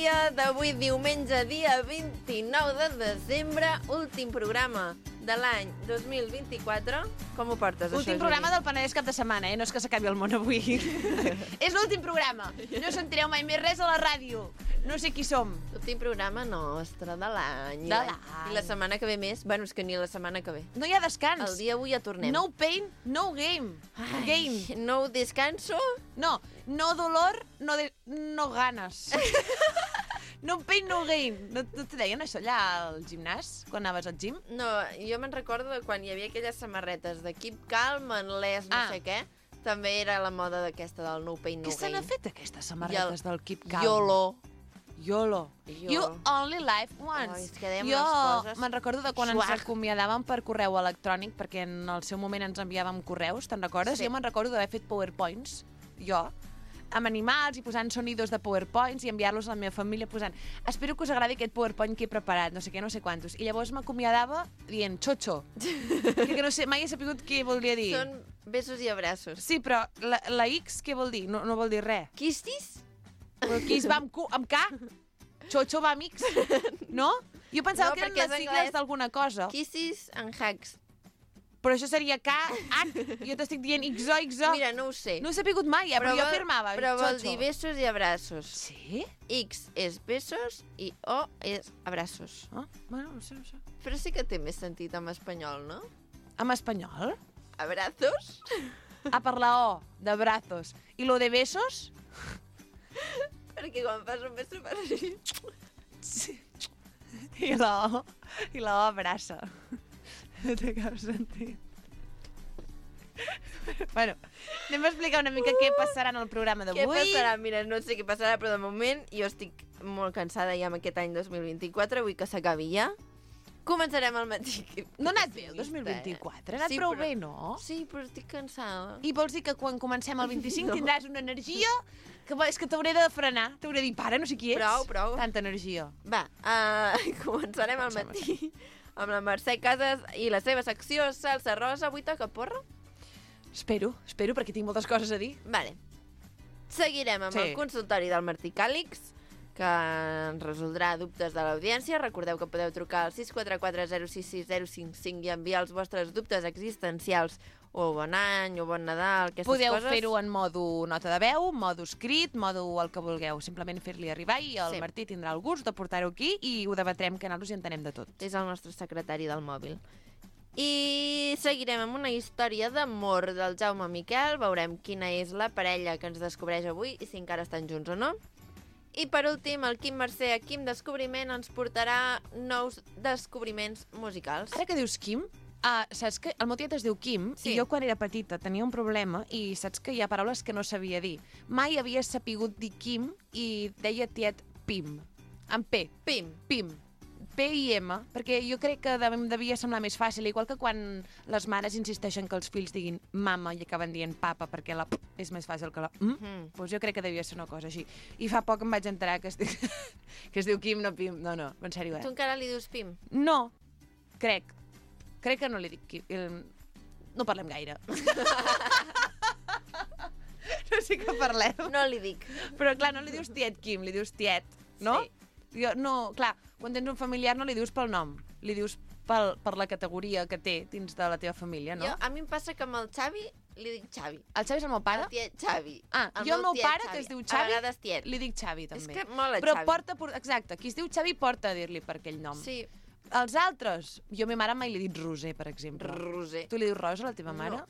dia d'avui, diumenge, dia 29 de desembre, últim programa de l'any 2024. Com ho portes, Últim programa del Penedès cap de setmana, No és que s'acabi el món avui. És l'últim programa. No sentireu mai més res a la ràdio. No sé qui som. L'últim programa nostre de l'any. De l'any. I la setmana que ve més. Bueno, és que ni la setmana que ve. No hi ha descans. El dia avui ja tornem. No pain, no game. Game. No descanso. No dolor, no ganes. No pain, no gain. No te deien això allà al gimnàs, quan anaves al gym? No, jo me'n recordo de quan hi havia aquelles samarretes de Keep Calm, Anlès, no sé què. També era la moda d'aquesta del no pain, no gain. Què se n'ha fet, aquestes samarretes del Keep Calm? YOLO. You only live once. Jo me'n recordo de quan ens acomiadàvem per correu electrònic, perquè en el seu moment ens enviàvem correus, te'n recordes? Sí. Jo me'n recordo d'haver fet PowerPoints, jo, amb animals i posant sonidos de PowerPoints i enviar-los a la meva família posant espero que us agradi aquest PowerPoint que he preparat, no sé què, no sé quantos. I llavors m'acomiadava dient xocho. Que no sé, mai he sabut què volia dir. Són besos i abraços. Sí, però la X què vol dir? No vol dir res. Quistis? Kiss va amb K? Xocho va amb X? No? Jo pensava que eren les sigles d'alguna cosa. Kisses and hugs. Però això seria K, H, jo t'estic dient XO. Mira, no ho sé. No he sapigut mai, però jo afirmava. Però vol dir besos i abraços. Sí? X és besos i O és abraços. Bueno, no sé. Però sí que té més sentit en espanyol, no? En espanyol? Abrazos? Per la O, de brazos. I lo de besos? Perquè quan fas un beso fas així. Sí. I la O abraça. No té cap sentit. Bueno, anem a explicar una mica què passarà en el programa d'avui. Què passarà? Mira, no sé què passarà, però de moment jo estic molt cansada ja amb aquest any 2024, vull que s'acabi ja. Començarem al matí. No ha anat bé el 2024? Ha anat prou bé, no? Sí, però estic cansada. I vols dir que quan comencem el 25 tindràs una energia que és que t'hauré de frenar? T'hauré de dir, para, no sé qui ets. Prou. Tanta energia. Va, començarem al matí amb la Mercè Casas i la seva secció Salsa Rosa. Avui toca porra? Espero, perquè tinc moltes coses a dir. Vale. Seguirem amb el consultori del Martí Càlix, que ens resoldrà dubtes de l'audiència. Recordeu que podeu trucar al 644-066-055 i enviar els vostres dubtes existencials, o bon any, o bon Nadal, aquestes coses. Podeu fer-ho en modo nota de veu, modo escrit, modo el que vulgueu. Simplement fer-li arribar i el Martí tindrà el gust de portar-ho aquí i ho debatrem, que nosaltres hi entenem de tot. És el nostre secretari del mòbil. I seguirem amb una història d'amor del Jaume Miquel. Veurem quina és la parella que ens descobreix avui i si encara estan junts o no. I per últim, el Quim Mercè, Quim Descobriment, ens portarà nous descobriments musicals. Ara que dius Quim, saps que el meu tiet es diu Quim, i jo quan era petita tenia un problema i saps que hi ha paraules que no sabia dir. Mai havia sapigut dir Quim i deia tiet Pim, amb P. Pim. P-I-M, perquè jo crec que devia semblar més fàcil, igual que quan les mares insisteixen que els fills diguin mama i acaben dient papa, perquè la P és més fàcil que la Doncs jo crec que devia ser una cosa així. I fa poc em vaig enterar que es diu Quim, no Pim. No, en sèrio, Tu encara li dius Pim? No, crec que no li dic Quim. No parlem gaire. No sé què parlem. No li dic. Però clar, no li dius tiet Quim, li dius tiet, no? Sí. No, clar, quan tens un familiar no li dius pel nom, li dius per la categoria que té dins de la teva família, no? A mi em passa que amb el Xavi li dic Xavi. El Xavi és el meu pare? El tiet Xavi. Jo el meu pare, que es diu Xavi, tiet. li dic Xavi, també. És que mola Però Xavi. Exacte, qui es diu Xavi porta a dir-li per aquell nom. Sí. Els altres, jo a ma mare mai li he dit Roser, per exemple. Roser. Tu li dius Rosa a la teva mare? No.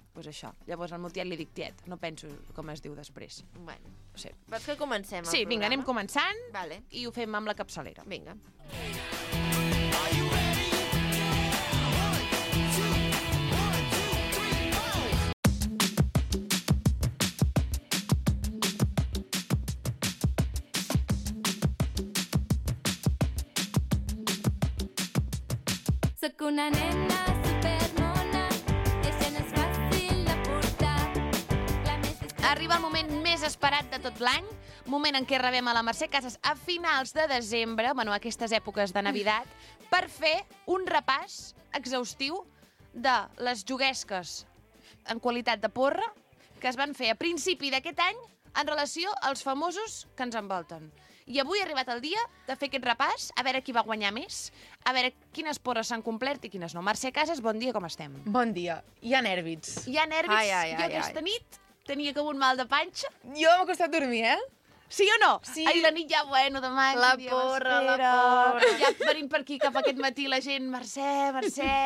Doncs això. Llavors al meu tiet li dic tiet. No penso com es diu després. Bueno. Sí. Vols que comencem el programa? Sí, vinga, anem començant i ho fem amb la capçalera. Vinga. Soc una nena supermona, això no és fàcil de portar. Arriba el moment més esperat de tot l'any, moment en què rebem a la Mercè Casas a finals de desembre, bueno, aquestes èpoques de Navidad, per fer un repàs exhaustiu de les juguesques en qualitat de porra que es van fer a principi d'aquest any en relació als famosos que ens envolten. I avui ha arribat el dia de fer aquest repàs, a veure qui va guanyar més, a veure quines porres s'han complert i quines no. Mercè Casas, bon dia, com estem? Bon dia. Hi ha nèrvits. Hi ha nervis? Ai. Jo aquesta nit tenia com un mal de panxa. Jo m'ha costat dormir, Sí o no? Sí. Ahir la nit ja, bueno, demà... La que dia porra. Ja venint per aquí cap aquest matí la gent, Mercè,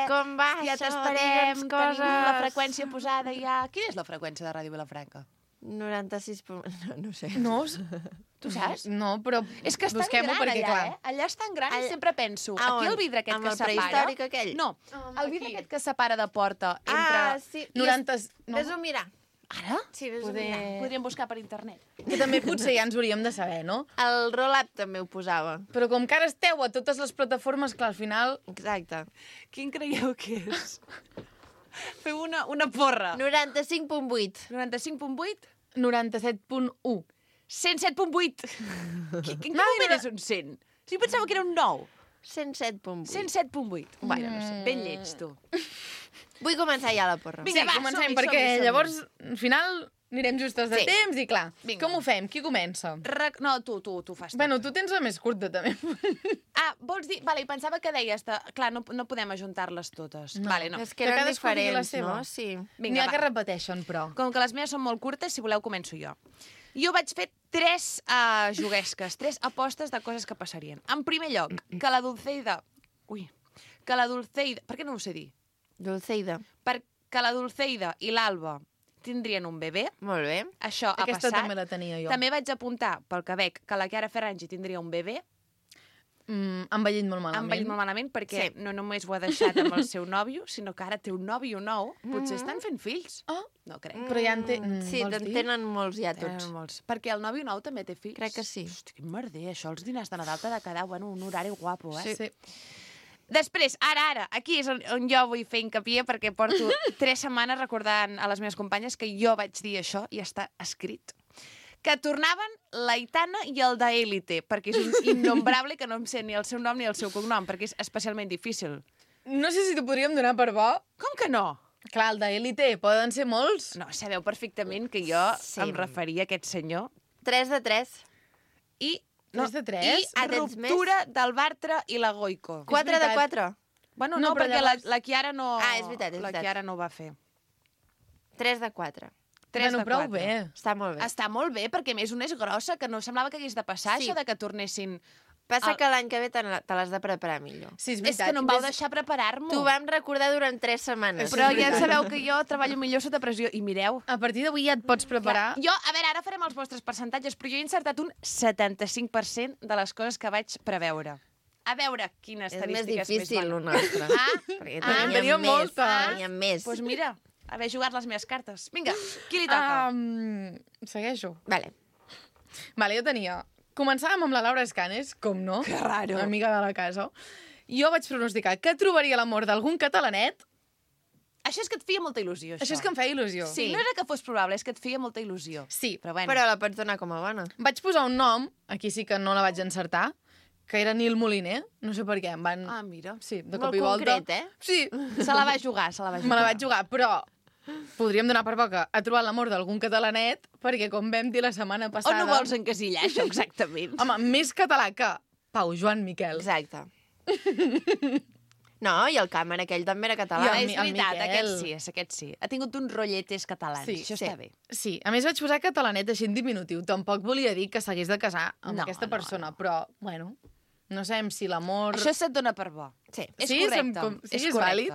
Com va ja això? t'esperem, Digue'ns tenim la coses. freqüència posada ja. Quina és la freqüència de Ràdio Vilafranca? 96... No sé. No? Tu saps? No, però És que és tan busquem-ho gran perquè, allà, clar. Allà és tan gran i Allà- sempre penso, A aquí on? el vidre aquest Amb que el separa... prehistòric aquell? No, el vidre aquest que separa de porta entre... sí. 90... No? Ves-ho mirar. Ara? Sí, ves-ho mirar. Podríem buscar per internet. Que també potser ja ens hauríem de saber, no? El roll-up també ho posava. Però com que ara esteu a totes les plataformes, clar, al final... Exacte. Quin creieu que és? Feu una porra. 95.8. 95.8? 97.1. 107.8. En quin moment és un 100? Si pensava que era un 9. 107.8. 107.8. Bueno, no sé, ben lleig, tu. Vull començar ja la porra. Vinga, Sí, va, comencem, som-hi, perquè som-hi. llavors, al final, anirem justes de Sí. temps i, clar, Vinga. com ho fem? Qui comença? No, tu fas. Bueno, tu tens la més curta, també. Vols dir... Vale, pensava que deies... Clar, no podem ajuntar-les totes. No. Vale, no. És que Que eren cadascú digui la diferents, seva. no? Sí. N'hi Vinga, ha que va. repeteixen, però. Com que les meves són molt curtes, si voleu començo jo. Jo vaig fer 3 juguesques, 3 apostes de coses que passarien. En primer lloc, que la Dulceida... Ui. Que la Dulceida... Per què no ho sé dir? Dulceida. Que la Dulceida i l'Alba tindrien un bebè. Molt bé. Això ha Aquesta passat. també la tenia jo. També vaig apuntar, pel que veig, que la Chiara Ferragni tindria un bebè. Han vellit molt malament. Han vellit molt malament perquè Sí. no només ho ha deixat amb el seu nòvio, sinó que ara té un nòvio nou. Potser estan fent fills. Ah, No crec. però ja en té... Sí, vols en dir? tenen molts ja tots. Tenen molts. Perquè el nòvio nou també té fills. Crec que sí. Hosti, quin merder, això. Els dinars de Nadal t'ha de quedar, bueno, un horari guapo, eh? Sí. Després, ara, aquí és on jo vull fer hincapié perquè porto 3 setmanes recordant a les meves companyes que jo vaig dir això i està escrit. Que tornaven l'Aitana i el d'Élite, perquè és un innombrable que no em sé ni el seu nom ni el seu cognom, perquè és especialment difícil. No sé si t'ho podríem donar per bo. Com que no? Clar, el d'Élite poden ser molts. No, sabeu perfectament que jo Sí. em referia a aquest senyor. 3 de 3. I... 3 de 3? I tens més? ruptura del Bartra i la Goico. 4 de veritat. 4. Bueno, No, no, però perquè llavors- la Chiara no... Ah, és veritat, és La veritat. Chiara no ho va fer. 3 de 4. 3 bueno, de prou 4. bé. Està molt bé. Està molt bé, perquè a més una és grossa, que no semblava que hagués de passar, Sí. això de que tornessin... Passa que l'any que ve te l'has de preparar millor. Sí, és És veritat. que no em vau deixar preparar-m'ho. T'ho vam recordar durant 3 setmanes. Però és ja veritat. sabeu que jo treballo millor sota pressió. I mireu... A partir d'avui ja et pots preparar. Jo, a veure, ara farem els vostres percentatges, però jo he encertat un 75% de les coses que vaig preveure. A veure quines És més estadístiques difícil, més el bones. nostre. Ah, Perquè teníem tenia més. moltes. Teníem més. Doncs mira, haver jugat les meves cartes. Vinga, qui li toca? Segueixo. Vale. Vale, jo tenia... Començàvem amb la Laura Escanes, com no? Que raro. Amiga de la casa. Jo vaig pronosticar que trobaria l'amor d'algun catalanet. Això és que et feia molta il·lusió, això. Això és que em feia il·lusió. Sí, no era que fos probable, és que et feia molta il·lusió. Sí, Però bueno, Però la pots donar com a bona. vaig posar un nom, aquí sí que no la vaig encertar, que era Nil Moliner, no sé per què, em van... Ah, mira. Sí, de Molt cop i volta. concret, eh? Sí, Se la va jugar, se la va jugar. me la vaig jugar, però podríem donar per bo que ha trobat l'amor d'algun catalanet, perquè com vam dir la setmana On passada... ho vols encasillar, això, exactament? Home, més català que Pau Joan Miquel. Exacte. No, i el càmera aquell també era català. I És el veritat, Miquel. aquest sí. Ha tingut uns rotlletes catalans, això està bé. Sí, a més vaig posar catalanet així en diminutiu. Tampoc volia dir que s'hagués de casar amb No, aquesta no, persona, però, bueno, no sabem si l'amor... Això se't dona per bo. Sí. És Sí, correcte. sí, és vàlid.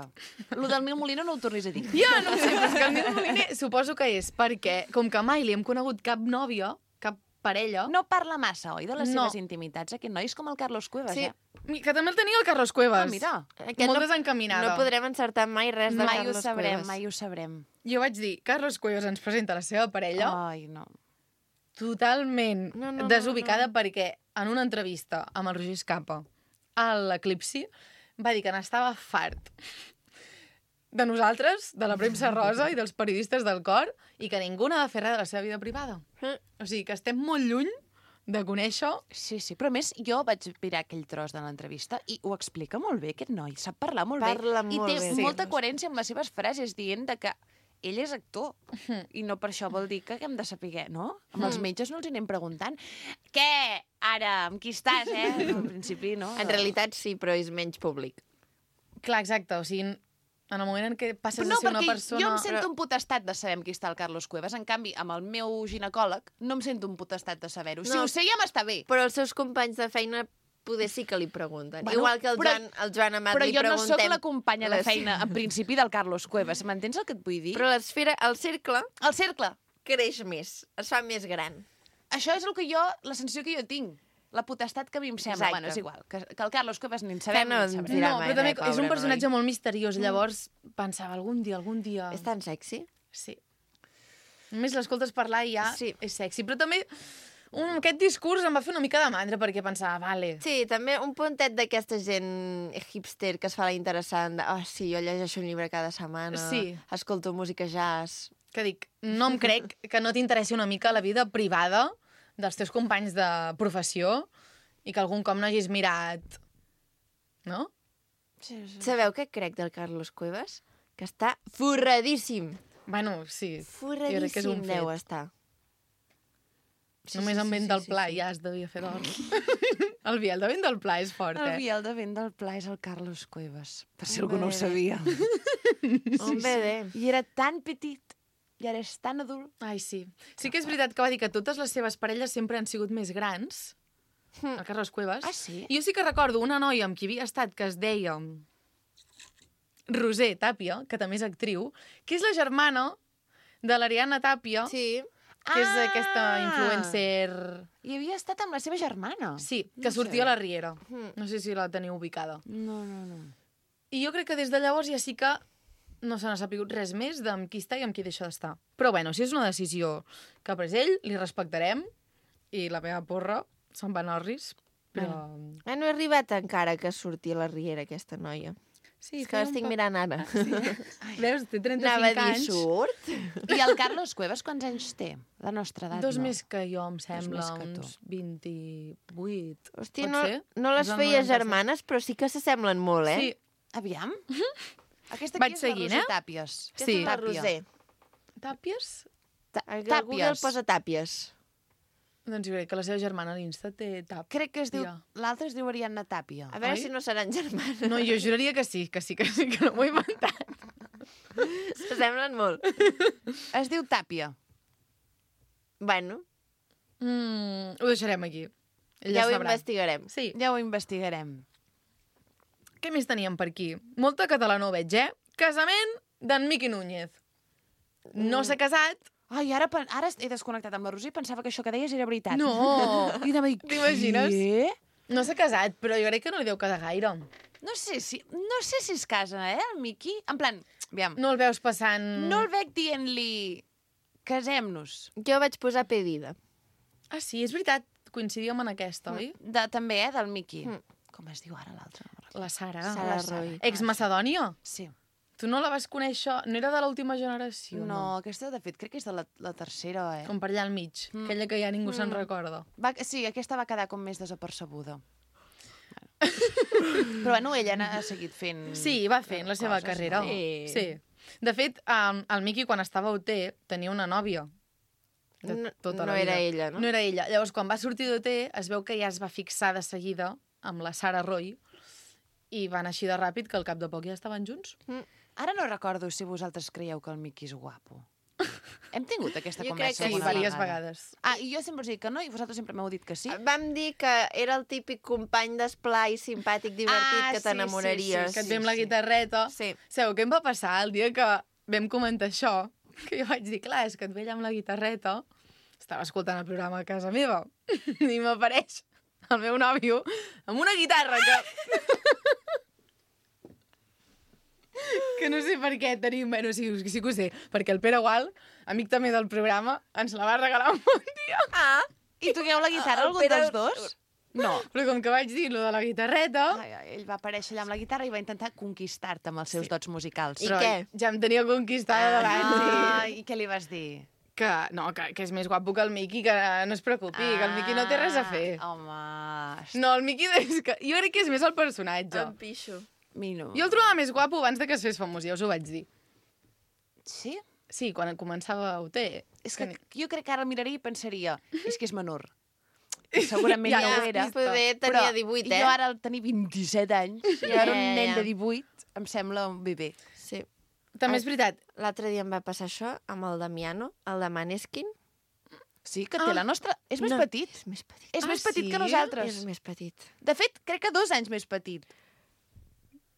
Lo del Nil Molino no ho tornis a dir. Ja, no ho sé, però és que el Nil Moliner suposo que és perquè, com que mai li hem conegut cap nòvia, cap parella... No parla massa, oi, de les No. seves intimitats, aquest noi és com el Carlos Cuevas, Sí, ja. que també el tenia el Carlos Cuevas. Ah, mira. Molt desencaminada. No podrem encertar mai res de Mai ho Carlos sabrem, Cuevas. mai ho sabrem. Jo vaig dir, Carlos Cuevas ens presenta la seva parella Ai, no. totalment No, desubicada perquè en una entrevista amb el Roger Escapa a l'Eclipsi va dir que n'estava fart de nosaltres, de la premsa rosa i dels periodistes del cor, i que ningú n'ha de fer res de la seva vida privada. O sigui, que estem molt lluny de conèixer... Sí, sí, però a més jo vaig mirar aquell tros de l'entrevista i ho explica molt bé, aquest noi, sap parlar molt Parla bé. I molt té bé. molta Sí. coherència amb les seves frases, dient de que ell és actor. I no per això vol dir que hem de saber, no? Amb els metges no els hi anem preguntant. Què? Ara, amb qui estàs, En principi, no? En realitat sí, però és menys públic. Clar, exacte, o sigui, en el moment en què passes No, a ser una perquè persona... jo em sento un potestat de saber amb qui està el Carlos Cuevas. En canvi, amb el meu ginecòleg no em sento un potestat de saber-ho. Si No. ho sé, ja m'està bé. Però els seus companys de feina poder sí que li pregunten. Bueno, Igual que el Joan Amat Però li jo no preguntem... sóc la companya de les- feina, en principi, del Carlos Cuevas. M'entens el que et vull dir? Però l'esfera, el cercle, El cercle. creix més, es fa més gran. Això és el que jo, la sensació que jo tinc. La potestat que a mi em sembla. Exacte. Bueno, és igual. Que el Carlos Cuevas ni en sabem Que no ni en ens sabrem. dirà No, mai però també res, és un pobre personatge noi. molt misteriós. Llavors pensava, algun dia... És tan sexy. Sí. Només l'escoltes parlar i ja Sí. és sexy. Però també aquest discurs em va fer una mica de mandra perquè pensava, vale... Sí, també un puntet d'aquesta gent hipster que es fa la interessant de, sí, jo llegeixo un llibre cada setmana, Sí. escolto música jazz... Que dic, no em crec que no t'interessi una mica la vida privada dels teus companys de professió i que algun cop no hagis mirat... No? Sí. Sabeu què crec del Carlos Cuevas? Que està forradíssim. Bueno, sí. Jo crec que és Forradíssim un deu fet. estar. Només amb vent del pla ja es devia fer d'or. El vial de vent del pla és fort, El eh? vial de vent del pla és el Carlos Cuevas, per si Hombre. algú no ho sabia. Un bebè. I era tan petit, i ara és tan adult. Ai, sí. Sí que és veritat que va dir que totes les seves parelles sempre han sigut més grans, el Carlos Cuevas. Ah, sí? I jo sí que recordo una noia amb qui havia estat que es deia Roser Tàpia, que també és actriu, que és la germana de l'Ariadna Tàpia, Sí. que és aquesta Ah! influencer... I havia estat amb la seva germana. Sí, que No sortia sé. a la Riera. No sé si la teniu ubicada. No. I jo crec que des de llavors ja sí que no se n'ha sapigut res més d'amb qui està i amb qui deixa d'estar. Però bueno, si és una decisió que ha pres ell, li respectarem, i la meva porra se'n va anar al risc, però... No he arribat encara que surti a la Riera, aquesta noia. Sí, És que l'estic mirant ara. Veus, té 35 Anava a dir, anys. surt? I el Carlos Cuevas quants anys té? La nostra edat, Dos no. més que jo, em sembla, més que tu. uns 28. Hòstia, Pot no, ser? no les És el feia 97. germanes, però sí que s'assemblen molt, eh? Sí, Aviam. Aquesta Vaig aquí és seguint, la Roser eh? Tàpies. Aquesta sí. és la Tàpia. Roser. Tàpies? A Google posa tàpies. Doncs jo crec que la seva germana a l'Insta té tàpia. Crec que es diu... Ja. L'altra es diu Ariadna Tàpia. A veure Oi? si no seran germanes. No, jo juraria que sí, que no m'ho he inventat. S'assemblen molt. Es diu Tàpia. Bueno, Ho deixarem aquí. Ella ja ho sabrà. investigarem. Sí. Ja ho investigarem. Què més teníem per aquí? Molta catalana ho veig, eh? Casament d'en Miqui Núñez. No s'ha casat. Ai, ara he desconnectat amb la Roser i pensava que això que deies era veritat. No. I anava a dir, T'imagines? què? No s'ha casat, però jo crec que no li deu quedar gaire. No sé si es casa, el Miqui. En plan, aviam, No el veus passant... no el veig dient-li casem-nos. Jo vaig posar pedida. Ah, sí, és veritat. Coincidíem en aquesta, oi? També, del Miqui. Com es diu ara l'altre? No me'n recordo. La Sara. Sara la Sara. Roy. Ex-Macedònia? Sí. Tu no la vas conèixer... No era de l'última generació, No, aquesta, de fet, crec que és de la tercera, Com per allà al mig. Aquella que ja ningú se'n recorda. Sí, aquesta va quedar com més desapercebuda. Però bueno, ella ha seguit fent... Sí, va fent la seva coses, carrera. no? Sí. De fet, el Miqui, quan estava a OT, tenia una nòvia. De No- tota no la vida. era ella, no? No era ella. Llavors, quan va sortir d'OT, es veu que ja es va fixar de seguida amb la Sara Roy i van així de ràpid que al cap de poc ja estaven junts. Ara no recordo si vosaltres creieu que el Miqui és guapo. Hem tingut aquesta Jo crec conversa que Sí, alguna diverses vegada. vegades. Ah, i jo sempre us dic que no, i vosaltres sempre m'heu dit que sí. Vam dir que era el típic company d'esplai, simpàtic, divertit, Ah, que sí, t'enamoraries. Que et ve amb la guitarreta. Sí. Sabeu què em va passar el dia que vam comentar això? Que jo vaig dir, clar, és que et ve allà amb la guitarreta. Estava escoltant el programa a casa meva i m'apareix el meu nòvio amb una guitarra que no sé per què tenim... Bueno, sí que ho sé, perquè el Pere Gual, amic també del programa, ens la va regalar un bon dia. Ah, I toqueu la guitarra, el algun Pere- dels dos? No. Però com que vaig dir lo de la guitarreta... Ell va aparèixer allà amb la guitarra i va intentar conquistar-te amb els seus dots musicals. I però què? ja em tenia conquistada d'abans. I què li vas dir? Que és més guapo que el Miqui, que no es preocupi, que el Miqui no té res a fer. Home, No, el Miqui... És que jo crec que és més el personatge. em pixo. Mino. Jo el trobava més guapo abans de que es fes famós, ja us ho vaig dir. Sí? Sí, quan començava UT. És que jo crec que ara el miraria i pensaria, és que és menor. Segurament ja ho era. Poder tenia 18, jo ara al tenir 27 anys, i ara un nen de 18 em sembla un bebè. Sí. També és veritat. L'altre dia em va passar això amb el Damiano, el de Maneskin. Sí, que té la nostra... És més petit. És més petit. És més petit que nosaltres. És més petit. De fet, crec que 2 anys més petit.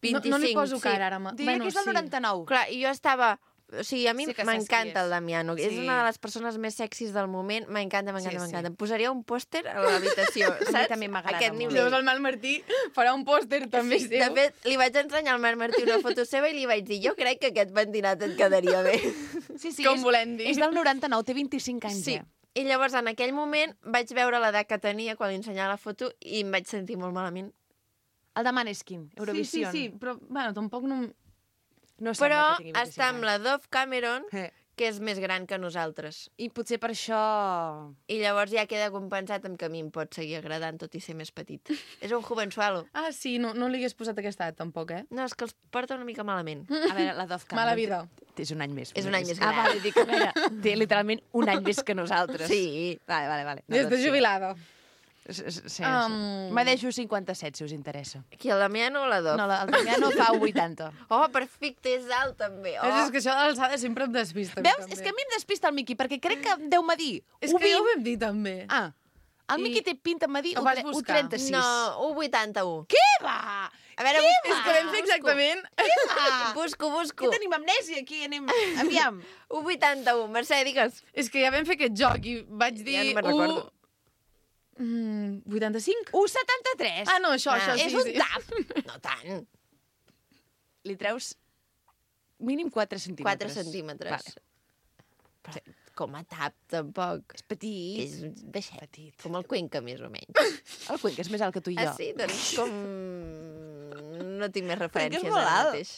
25, no li poso sí. cara ara. Diria que és del 99. Clar, i jo estava... O sigui, a mi Sí que saps qui m'encanta és. el Damiano. Sí. És una de les persones més sexis del moment. M'encanta, Sí. m'encanta. Em posaria un pòster a l'habitació, mi saps? també m'agrada Aquest molt. nivell. Llavors el Marc Martí farà un pòster també Sí, seu. de fet, li vaig ensenyar al Marc Martí una foto seva i li vaig dir, jo crec que aquest pentinat et quedaria bé. Sí, Com volem dir. És del 99, té 25 anys, Sí. I llavors, en aquell moment, vaig veure l'edat que tenia quan li ensenyava la foto i em vaig sentir molt malament. El de Maneskin, Eurovision. Sí, però, bueno, tampoc no... No Però sembla que tingui 25 està amb la Dove Cameron, anys. que és més gran que nosaltres. I potser per això... I llavors ja queda compensat amb que a mi em pot seguir agradant, tot i ser més petit. És un jovensualo. Ah, sí, no li hagués posat aquesta edat, tampoc, eh? No, és que els porta una mica malament. A veure, la Dove Cameron... Mala vida. És un any més. És un any més Ah, gran. vale, dic, a veure, té literalment un any més que nosaltres. Sí. Vale. Des de jubilada. Sí. M'adeixo 57, si us interessa. Qui, el Damiano o la Dove? No, el Damiano fa 80. Oh, perfecte, és alt, també. Oh. És que això de l'alçada sempre em despista. Veus? És que a mi em despista el Miqui, perquè crec que deu-me dir... És que ja ho vam dir, també. Ah, el Miqui té pinta de dir Ho vas buscar. 36. No, 1,81. Què va? A veure, És que vam fer exactament... Busco. Què tenim amnèsia aquí? Aviam. 1,81. Mercè, digues. És que ja vam fer aquest joc i vaig dir... Ja no me'n recordo. 85? 1,73. Ah, no, això sí. És un tap. No tant. Li treus mínim 4 centímetres. 4 centímetres. Vale. Però, com a tap, tampoc. És petit. És baixet. Petit. Com el Cuenca, més o menys. El Cuenca és més alt que tu i jo. Ah, sí? Doncs com... No tinc més Cuenca referències és molt ara alt. mateix.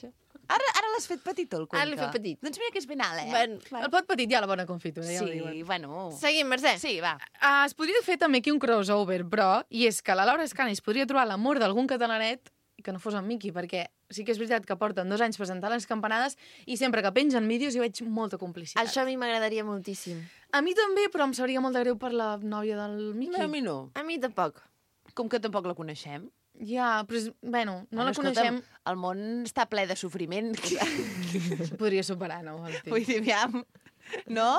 Ara l'has fet petit, el Cuenca. Ara l'he fet petit. Doncs mira que és ben alt, Ben, El pot petit ja la bona confitura, ja ho diuen. Sí, bueno... Seguim, Mercè. Sí, va. Es podria fer també aquí un crossover, però, i és que la Laura Escanis podria trobar l'amor d'algun catalanet i que no fos en Miqui, perquè sí que és veritat que porten 2 anys presentant les campanades i sempre que pengen vídeos hi veig molta complicitat. Això a mi m'agradaria moltíssim. A mi també, però em sabria molt de greu per la nòvia del Miqui. A mi no. A mi tampoc. Com que tampoc la coneixem. Ja, però és, bueno, no la Escolta'm, coneixem. el món està ple de sofriment. Podria superar, no? Hosti. Vull dir, aviam, no?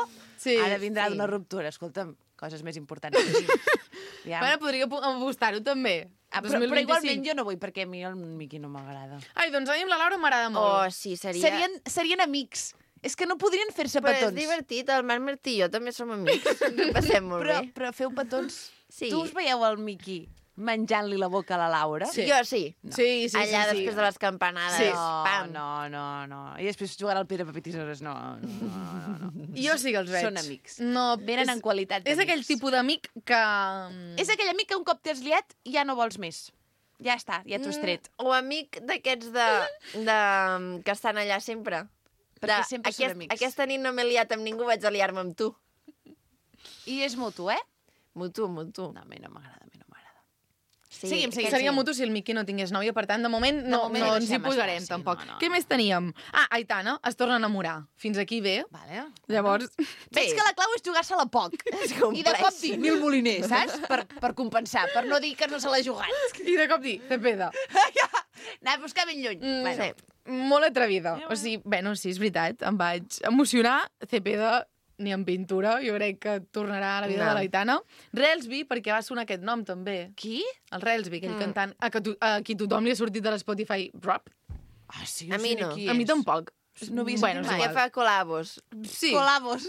Sí, Ara vindrà sí. d'una ruptura, escolta'm, coses més importants. Aviam. Bueno, podria apostar-ho també. Però 2025. igualment jo no vull, perquè a mi el Miqui no m'agrada. Ai, doncs a mi amb la Laura m'agrada Oh, molt. sí, seria... Serien amics. És que no podrien fer-se Però és petons. divertit, el Marc Martí i jo també som amics. Ens ho passem molt bé. Però feu petons. Sí. Tu us veieu el Miqui menjant-li la boca a la Laura? Sí. Jo sí. No. Sí, Allà després de les campanades. Sí. Pam. No. I després jugarà al Pere Paper Tisores. No. Jo sí que els veig. Són amics. No, Venen en qualitat És d'amics. aquell tipus d'amic que... És aquell amic que un cop t'has liat ja no vols més. Ja està, ja t'ho has tret. O amic d'aquests que estan allà sempre. Perquè sempre són amics. Aquesta nit no m'he liat amb ningú, vaig a liar-me amb tu. I és mutu, eh? Mutu. No, a mi no m'agrada, Sí, Seguim. Seria mutu si el Miqui no tingués nòvia, per tant, de moment no moment ens hi deixem posarem, estar, sí, tampoc. no. Què més teníem? Ah, Aitana es torna a enamorar. Fins aquí bé. Vale. Llavors, Veig que la clau és jugar-se-la poc. I de cop dir 1.000 moliners, saps? Per compensar, per no dir que no se l'ha jugat. i de cop dir, Cepeda. Anar a buscar ben lluny. Sí. Molt atrevida. O sigui, bueno, sí, és veritat, em vaig emocionar. Cepeda, ni en pintura, jo crec que tornarà a la vida No. de l'Aitana. Relsby, perquè va sonar aquest nom, també. Qui? El Relsby, aquell cantant a qui tothom li ha sortit de l'Spotify rap. Ah, sí, A mi sé no. qui A mi és. tampoc. No havia Bueno, sentit és mai. Que fa col·labos. Sí. Colabos.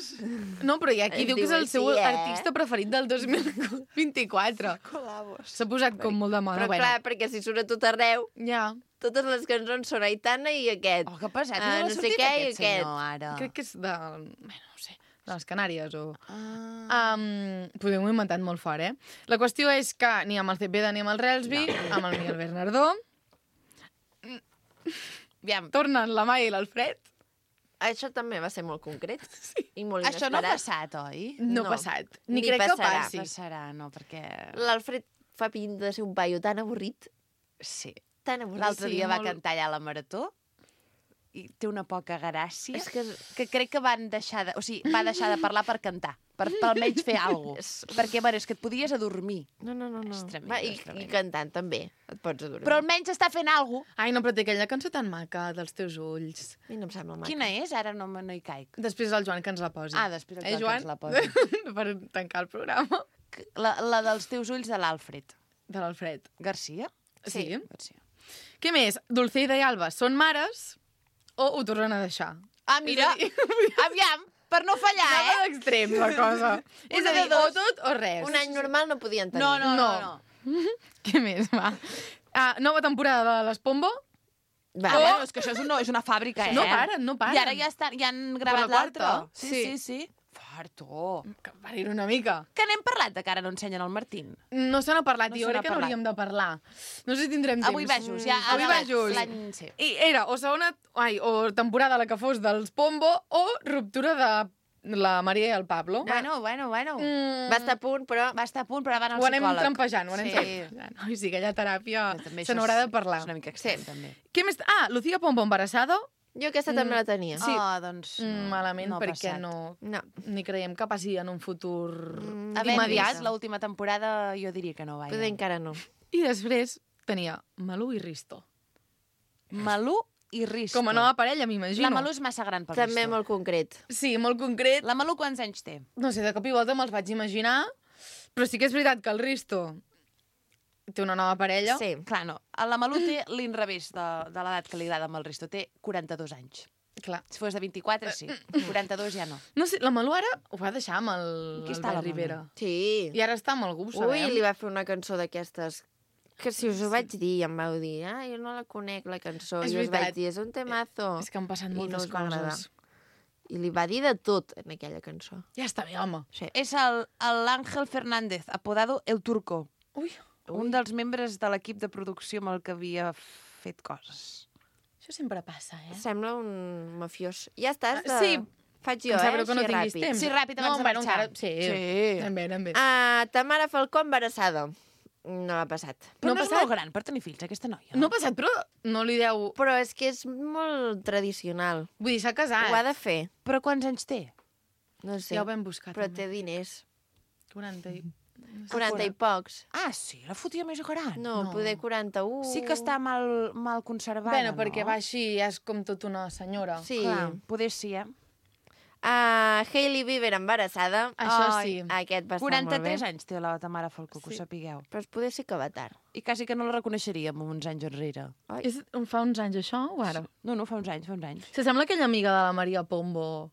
No, però hi ha qui Es diu que és diu el seu així, artista preferit del 2024. Colabos. S'ha posat com molt de moda. Però clar, perquè si surt a tot arreu, Ja, totes les cançons són Aitana i aquest. Oh, que pesat. Ah, No, no sé sortit què i aquest senyor, ara. crec que és de... Bueno, no sé, de les Canàries o... Ah. Podem ho inventat molt fort, eh? La qüestió és que ni amb el Cepeda ni amb el Relsby, amb el Miguel Bernardó, Aviam, tornen la Maia i l'Alfred. Això també va ser molt concret i molt això no ha inesperat. passat, oi? No, No. ha passat. Ni, Ni crec passarà. que passi. Passarà, no, perquè... L'Alfred fa pinta de ser un paio tan avorrit, Sí. tan avorrit. L'altre Sí, dia va molt- cantar allà a la Marató i té una poca gràcia, És que... que crec que van deixar de... O sigui, va deixar de parlar per cantar, per almenys fer alguna cosa. Perquè, bueno, és que et podies adormir. No. És tremendo, Va, és tremendo. I cantant també, et pots adormir. Però almenys està fent alguna cosa. Ai, no, però té aquella cançó tan maca, dels teus ulls. A mi no em sembla maca. Quina és? Ara no hi caic. Després el Joan que ens la posi. Ah, després el Joan que Joan? ens la posi. Per tancar el programa. La dels teus ulls de l'Alfred. De l'Alfred. Garcia? Sí. Garcia. Què més? Dulceida i Alba són mares o ho tornen a deixar? Ah, mira, És a dir, aviam, per no fallar, anava d'extrems, la cosa. És a dir, o tot o res. Un any normal no podien tenir. No. Què més, va? Nova temporada de les Pombo. Va, bueno, és que això és una fàbrica, No paren, no paren. I ara ja han gravat la quarta. l'altre. Sí. Farto. Que parir una mica. Que n'hem parlat de que ara no ensenyen el Martín. No se n'ha parlat, No jo se n'ha crec que parlat. n'hauríem de parlar. No sé si tindrem temps. Avui vejos, ja. Avui vejos. L'any... Sí. I era o temporada la que fos dels Pombo o ruptura de la Maria i el Pablo. Bueno. Va estar a punt, però... Va estar a punt, però van al Ho anem psicòleg. trampejant, ho anem Sí. trampejant. Ai, sí, aquella teràpia Però també se això n'haurà de parlar. És una mica extrem, també. Què més? Lucía Pombo embarazada. Jo aquesta també la tenia. Sí. Doncs... Malament, no ha perquè passat. no... No. Ni creiem que passi en un futur Havent immediat. vist l'última temporada, jo diria que no va. Poder encara no. I després tenia Malú i Risto. Malú i Risto. Com a nova parella, m'imagino. La Malú és massa gran per També Risto. molt concret. Sí, molt concret. La Malú quants anys té? No sé, de cop i volta me'ls vaig imaginar, però sí que és veritat que el Risto té una nova parella. Sí. Clar, no. La Malú té l'inrevés de l'edat que li agrada amb el Risto. Té 42 anys. Clar. Si fos de 24, sí. 42 ja no. No sé, la Malú ara ho va deixar amb el Qui està, la Albert Rivera. Sí. I ara està amb algú, ho Ui, sabem. li va fer una cançó d'aquestes que si us ho vaig dir em vau dir jo no la conec, la cançó. És I us veritat. vaig dir, és un temazo. És que han passat I no moltes us va agradar. coses. I li va dir de tot en aquella cançó. Ja està bé, home. Sí. És l'Àngel Fernández, apodado El Turco. Ui, Un dels membres de l'equip de producció amb el que havia fet coses. això sempre passa, eh? Sembla un mafiós. Ja estàs de... Sí. Faig jo, Em sap greu que no així tinguis ràpid. temps. Sí, ràpid, abans de bueno, marxar. encara... Sí, Sí. anem bé, anem bé. Tamara Falcó embarassada. No ha passat. Però No no, ha és passat? molt gran per tenir fills, aquesta noia. No ha passat, però no li deu... Però és que és molt tradicional. Vull dir, s'ha casat. Ho ha de fer. Però quants anys té? No sé. Ja ho vam buscar, Però també. té diners. 40 i... 40 i pocs. Ah, sí, la fotia més gran. No, poder 41. Sí que està mal conservada, Bueno, no? perquè va així, ja és com tot una senyora. Sí. Clar, poder sí, eh? Hailey Bieber embarassada. Això Ai, sí. Aquest va estar molt bé. 43 anys té la Tamara Falcó, que ho sapigueu. Però es poder sí que va tard. I quasi que no la reconeixeríem uns anys enrere. Fa uns anys això o ara? No, fa uns anys, fa uns anys. S'assembla aquella amiga de la Maria Pombo.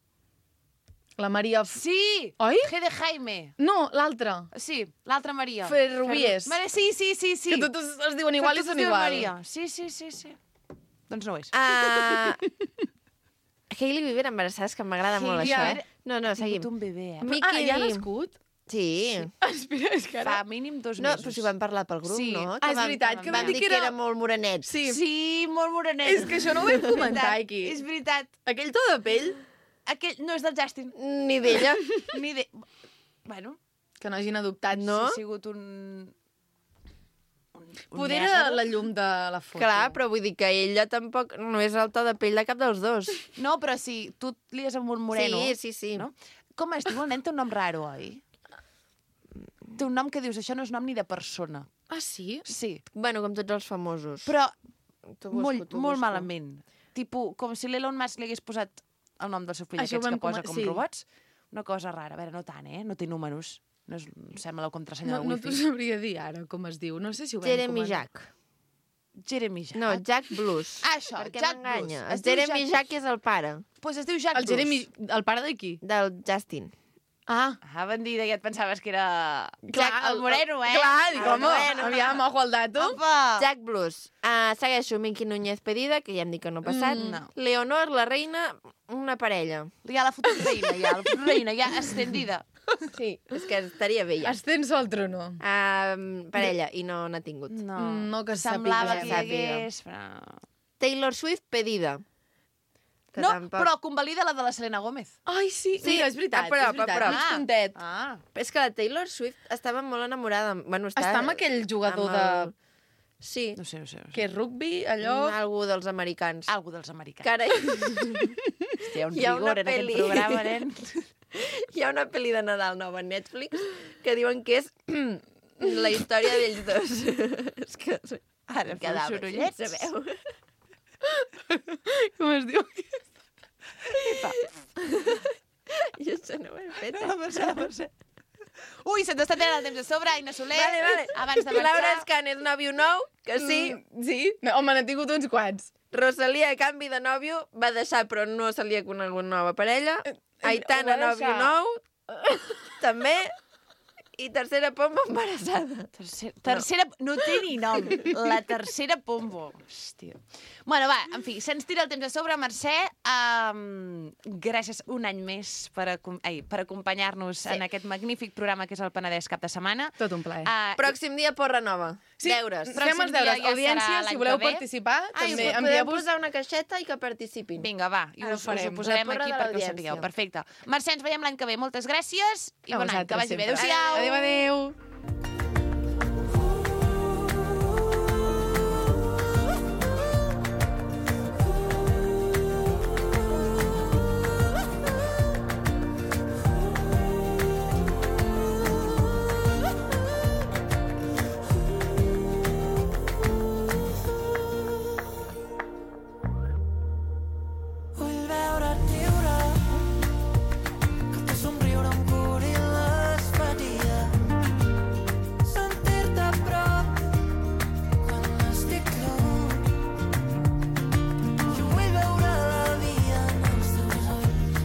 La Maria... Sí! Oi? G de Jaime. No, l'altra. Sí, l'altra Maria. Ferrubies. Sí. Que totes es diuen igual i Que totes són es diuen igual. Maria. Sí. Doncs no ho és. Hailey Bieber embarassada, és que m'agrada molt Hailey això, Bieber No, Ha seguim. tingut un bebè, eh? Mickey ja ha Lee. nascut? Sí. Espera, és que ara... Fa mínim 2 No, mesos. però si ho vam parlar pel grup, Sí. no? Ah, és veritat, que vam dir que era molt morenet. Sí. Sí, molt morenet. És que això no ho vam comentar aquí. És veritat. Aquell to de pell Aquell no és del Justin. Ni d'ella. Ni de... Bueno, que no hagin adoptat, No? ha sigut un Poder era la llum de la foto. Clar, però vull dir que ella tampoc no és el to de pell de cap dels dos. No, però si tu et lies amb un moreno... Sí. No? Com es diu? El nen té un nom raro, oi? Té un nom que dius, això no és nom ni de persona. Ah, sí? Sí, Bueno, com tots els famosos. però T'ho molt busco. malament. Tipo, com si l'Elon Musk li hagués posat el nom del seu fill, Això ho aquests vam que posa com- com sí. robots. Una cosa rara. A veure, no tant, eh? No té números. No és, sembla la contrasenya No, del no t'ho wifi. sabria dir ara com es diu. No sé si ho vam Jeremy comentar. Jack. Jeremy Jack. No, Jack Blues. Ah, això, Per què Jack m'enganya? Blues. Es El diu Jeremy Jack Jack és el pare Pues es diu Jack El Jeremy... Bruce. El pare de qui? del Justin. Ah, Ah, bandida, ja et pensaves que era... clar, Jack, el moreno, eh? Clar, dic, El home, moreno. aviam, ojo al dato. Opa! Jack Blues. Segueixo Miqui Núñez Pedida, que ja em dic que no ha passat. No. Leonor, la reina, una parella. Ja la futura reina, ja. La futura reina, ja estendida. Sí, és que estaria bé ja. Ascenso al trono. Parella, i no n'ha tingut. No, No que semblava sàpiga. que hi hagués... Però... Taylor Swift, Pedida. Que No, tampoc- però convalida la de la Selena Gómez. Ai, sí, Sí, mira, és veritat, a prop, és veritat. a prop. Mig puntet. Ah. És que la Taylor Swift estava molt enamorada. Bueno, Està amb aquell jugador de... Sí. No sé. Que és rugby, allò... Algú dels americans. Algú dels americans. Que ara Hòstia, un hi ha una rigor en aquest pel·li. programa, nen. hi ha una pel·li de Nadal nova a Netflix que diuen que és la història d'ells dos. És que Ara feu quedava sorollets. sense veu. Com es diu? Jo això no ho he fet. No, Mercè. Ui, se'ns està tenint el temps a sobre, Aina Soler. Vale. Abans de Laura marxar... Escanes, nòvio nou, que sí. Sí? No, home, n'he tingut uns quants. Rosalia, a canvi de nòvio, va deixar, però no se li ha conegut nova parella. Aitana, ho va nòvio deixar. nou, també. I tercera pomba embarassada. Tercera... No té ni nom. La tercera pombo. Hòstia. Bueno, va, en fi, se'ns tira el temps a sobre. Mercè, gràcies un any més per acompanyar-nos en aquest magnífic programa que és el Penedès Cap de Setmana. Tot un plaer. Pròxim dia, porra nova. Sí, Deures. fem els deures. dia ja Audiència, serà si l'any voleu que ve. participar, Ai, també podeu envieu-vos... posar una caixeta i que participin. Vinga, va, i Ara ho us farem. ho posarem La porra aquí de perquè ho l'audiència. sapigueu. Perfecte. Mercè, ens veiem l'any que ve. Moltes gràcies i bon any. Que vagi bé. sempre. Adéu-siau. Adéu. Vull veure't riure, que el teu somriure em curi les ferides. Sentir-te a prop quan estic lluny. Jo vull veure la vida en els teus ulls.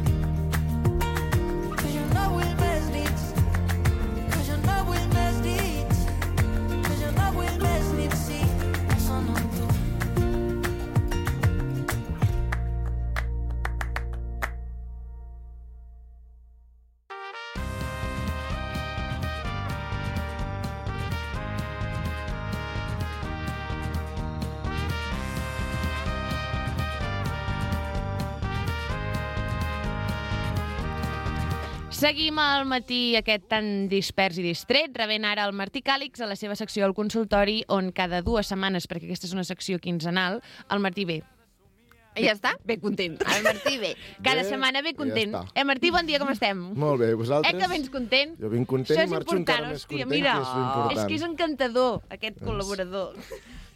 Que jo no vull més nits, que jo no vull més dits, que jo no vull més nits si no són amb tu. Seguim al matí aquest tan dispers i distret, rebent ara el Martí Càlix a la seva secció al consultori, on cada 2 setmanes, perquè aquesta és una secció quinzenal, el Martí ve. I ja està? Ve content. El Martí bé. Cada Bé, setmana ve i ja content. està. Martí, bon dia, com estem? Molt bé, vosaltres? Que vens content? Jo vinc content Això i és marxo important, encara més hòstia, content, mira, que és l'important. és que és encantador, aquest col·laborador.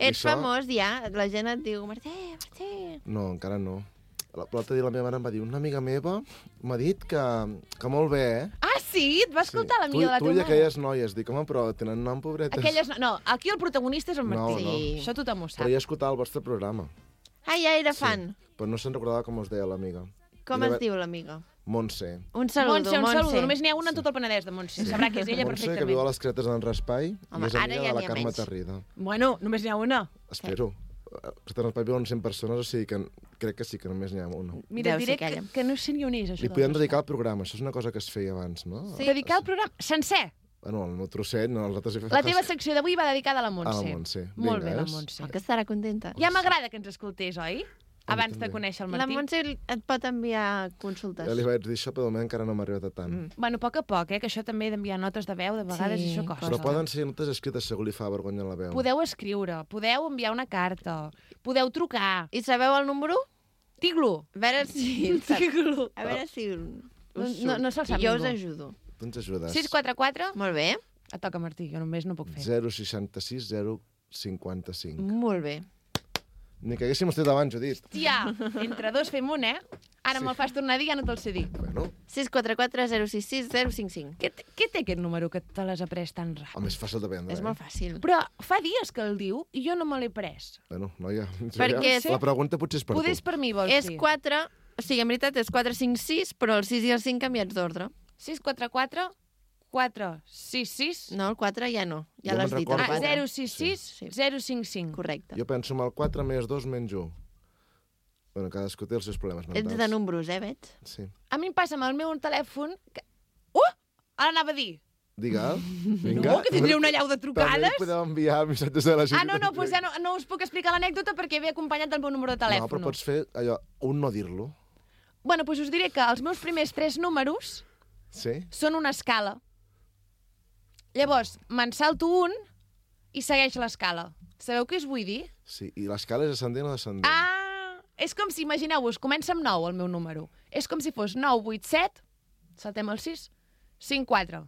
Ets això? famós ja, la gent et diu Martí. No, encara no. L'altre dia la meva mare em va dir, una amiga meva m'ha dit que molt bé, eh? Ah, sí? Et va escoltar l'amiga de la Tu teva i mare? aquelles noies, dic, home, però tenen nom, pobretes. Aquelles... No, aquí el protagonista és el Martí. No, no. Això tothom ho sap. Però ja escoltava el vostre programa. Ah, ja era fan. Però no se'n recordava com us deia l'amiga. Com I es diu l'amiga? Montse. Un saludo, Montse, un saludo. Només n'hi ha una en tot el Penedès de Montse. Sabrà que és ella Montse, que viu a perfectament. les Cretes d'en Raspai Home, i és ara amiga ja de la n'hi ha Carme menys. Tarrida. Bueno, només n'hi ha una. Espero. Cretes d'en Raspai viuen 100 persones, o sigui que crec que sí que només n'hi ha una. Mira, Deu et diré ser aquella. que no sé ni on és, això. Li podem dedicar el programa, això és una cosa que es feia abans, no? Sí. Dedicar el programa sencer. Bueno, el meu trosset, no, els altres... La teva secció d'avui va dedicada a la Montse. A la Montse. Molt Vinga, bé, la és? Montse. Que estarà contenta. Ja m'agrada que ens escoltés, oi? Abans de també. conèixer el La Martí. Montse et pot enviar consultes. Ja li vaig dir això, però de moment encara no m'ha arribat a tant. Bueno, a poc a poc, que això també d'enviar notes de veu, de vegades Sí, això costa. Però poden ser notes escrites, segur li fa vergonya la veu. Podeu escriure, podeu enviar una carta, podeu trucar. I sabeu el número? Tiglo. A veure si... Tiglo. A veure si... No se'l sap Jo ningú. us ajudo. Tu ens ajudes. 644. Molt bé. Et toca, Martí, jo només no puc fer. 066 055. Molt bé. Ni que haguéssim estat abans, Judit. Hòstia, entre dos fem un, eh? Ara me'l fas tornar a dir, ja no te'l sé dir. Bueno, 644 066 055. Què té aquest número que te l'has après tan ràpid? home, és fàcil de prendre, És molt fàcil. Però fa dies que el diu i jo no me l'he pres. Bueno, noia, Perquè és- la pregunta potser és per Poder és tu. per mi, vols És dir? 4... O sigui, en veritat és 4, 5, 6, però el 6 i el 5 canviats d'ordre. 644 466 No, el 4 ja no. Ja Jo l'has me'n dit, el recordo. 4. 066 Sí. 055. Correcte. Jo penso en el 4 més 2 menys 1. Bueno, cadascú té els seus problemes mentals. Ets de números, veig? Sí. A mi em passa amb el meu telèfon que... Ara anava a dir. Digue-el. Vinga. No, que tindré una llau de També trucades. podeu enviar missatges de la gent. Ah, no, doncs ja no us puc explicar l'anècdota perquè ve acompanyat del meu número de telèfon. No, però pots fer allò, un no dir-lo. Bueno, doncs us diré que els meus primers 3 números Sí? són una escala. Llavors, me'n salto un i segueix l'escala. Sabeu què us vull dir? Sí, i l'escala és ascendent o descendent? És com si, imagineu-vos, comença amb 9 el meu número. És com si fos 9, 8, 7, saltem el 6, 5, 4.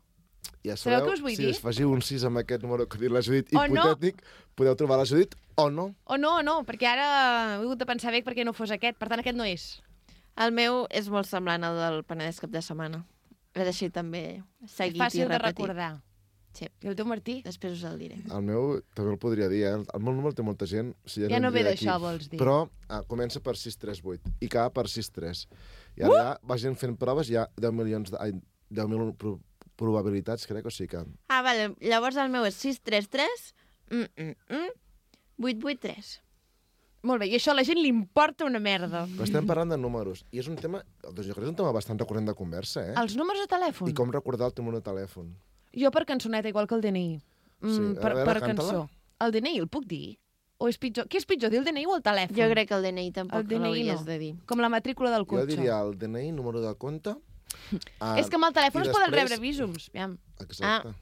Ja sabeu què us vull si dir? us afegiu un 6 amb aquest número que ha dit la Judit, O no. hipotètic, podeu trobar la Judit o no. O no, perquè ara he hagut de pensar bé perquè no fos aquest. Per tant, aquest no és. El meu és molt semblant al del Penedès cap de setmana. És així també seguit i Fàcil de repetit. recordar. Sí. I el teu, Martí? Després us el diré. El meu també el podria dir, eh? El meu número té molta gent. O sigui, Ja no ve vindria d'això, d'aquí. vols dir. Però comença per 638 i acaba per 63. I ara ja va gent fent proves, hi ha 10 milions 10.000 probabilitats, crec, o sigui que... Ah, vale. Llavors el meu és 633 883. Molt bé, i això a la gent li importa una merda. Però estem parlant de números. I és un tema, doncs jo crec que és un tema bastant recurrent de conversa, eh? Els números de telèfon? I com recordar el teu número de telèfon. Jo per cançoneta, igual que el DNI. Sí, a per veure, cançó. canta-la. El DNI el puc dir? O és pitjor? Què és pitjor, dir el DNI o el telèfon? Jo crec que el DNI el tampoc DNI l'hauries no. de dir. Com la matrícula del Jo cotxe. diria el DNI, número de compte... És que amb el telèfon i es poden després- rebre visums. Aviam. Exacte.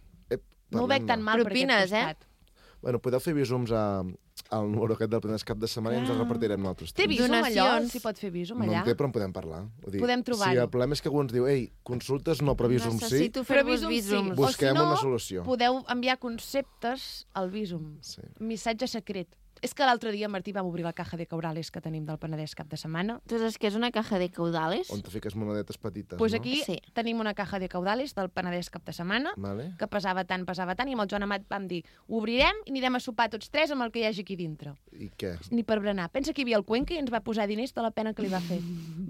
No ho veig tan mal per Propines, aquest costat. Bueno, podeu fer visums al número aquest del Penedès cap de setmana i ens el repartirem nosaltres. Té visum allò? Donacions. S'hi pot fer visum No allà? en té, però en podem parlar. Vull dir, Podem trobar-ho. Si el problema és que algú ens diu, ei, consultes no, però visum sí, Necessito Però fer-vos visum sí. visums. O busquem si no, una solució. podeu enviar conceptes al visum. Sí. Missatge secret. És que l'altre dia, Martí, vam obrir la caja de caurales que tenim del Penedès cap de setmana. Tu saps què és una caja de caudales? On te fiques monedetes petites, Doncs no? aquí Sí. tenim una caja de caudales del Penedès cap de setmana, Vale. que pesava tant, i amb el Joan Amat vam dir, obrirem i anirem a sopar tots tres amb el que hi hagi aquí dintre. I què? Ni per berenar. Pensa que hi havia el Cuenca i ens va posar diners de la pena que li va fer.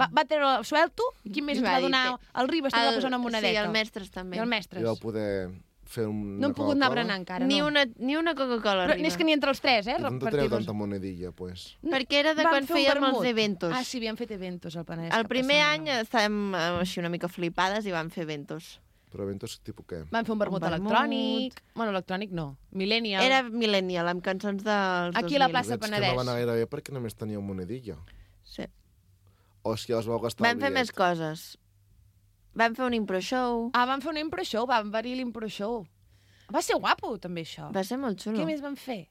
Va treure el suelto, i quin més ens va donar? El Ribas també va posar una monedeta. Sí, el Mestres també. I el Mestres. I vau poder fer una No hem pogut anar a Coca-Cola? berenar encara, Ni no. una Coca-Cola Però arriba. és que ni entre els tres, I d'on te treu repartir-los. tanta monedilla, pues? Perquè era de Vam quan fer un fèiem els vermut. eventos. Ah, sí, havíem fet eventos al Penedès. El cap de primer setmana. any estàvem així una mica flipades i vam fer eventos. Però eventos tipus què? Vam fer un vermut Un vermut. electrònic. Bueno, electrònic no. Millennial. Era millennial, amb cançons dels Aquí a la 2000. plaça Veig que Penedès. no va anar gaire bé perquè només teníeu monedilla. Sí. O és que us vau gastar Vam el fer bitllet? més coses. Vam fer un impro show. Ah, vam fer un impro show, vam venir l'impro show. Va ser guapo, també, això. Va ser molt xulo. Què més vam fer?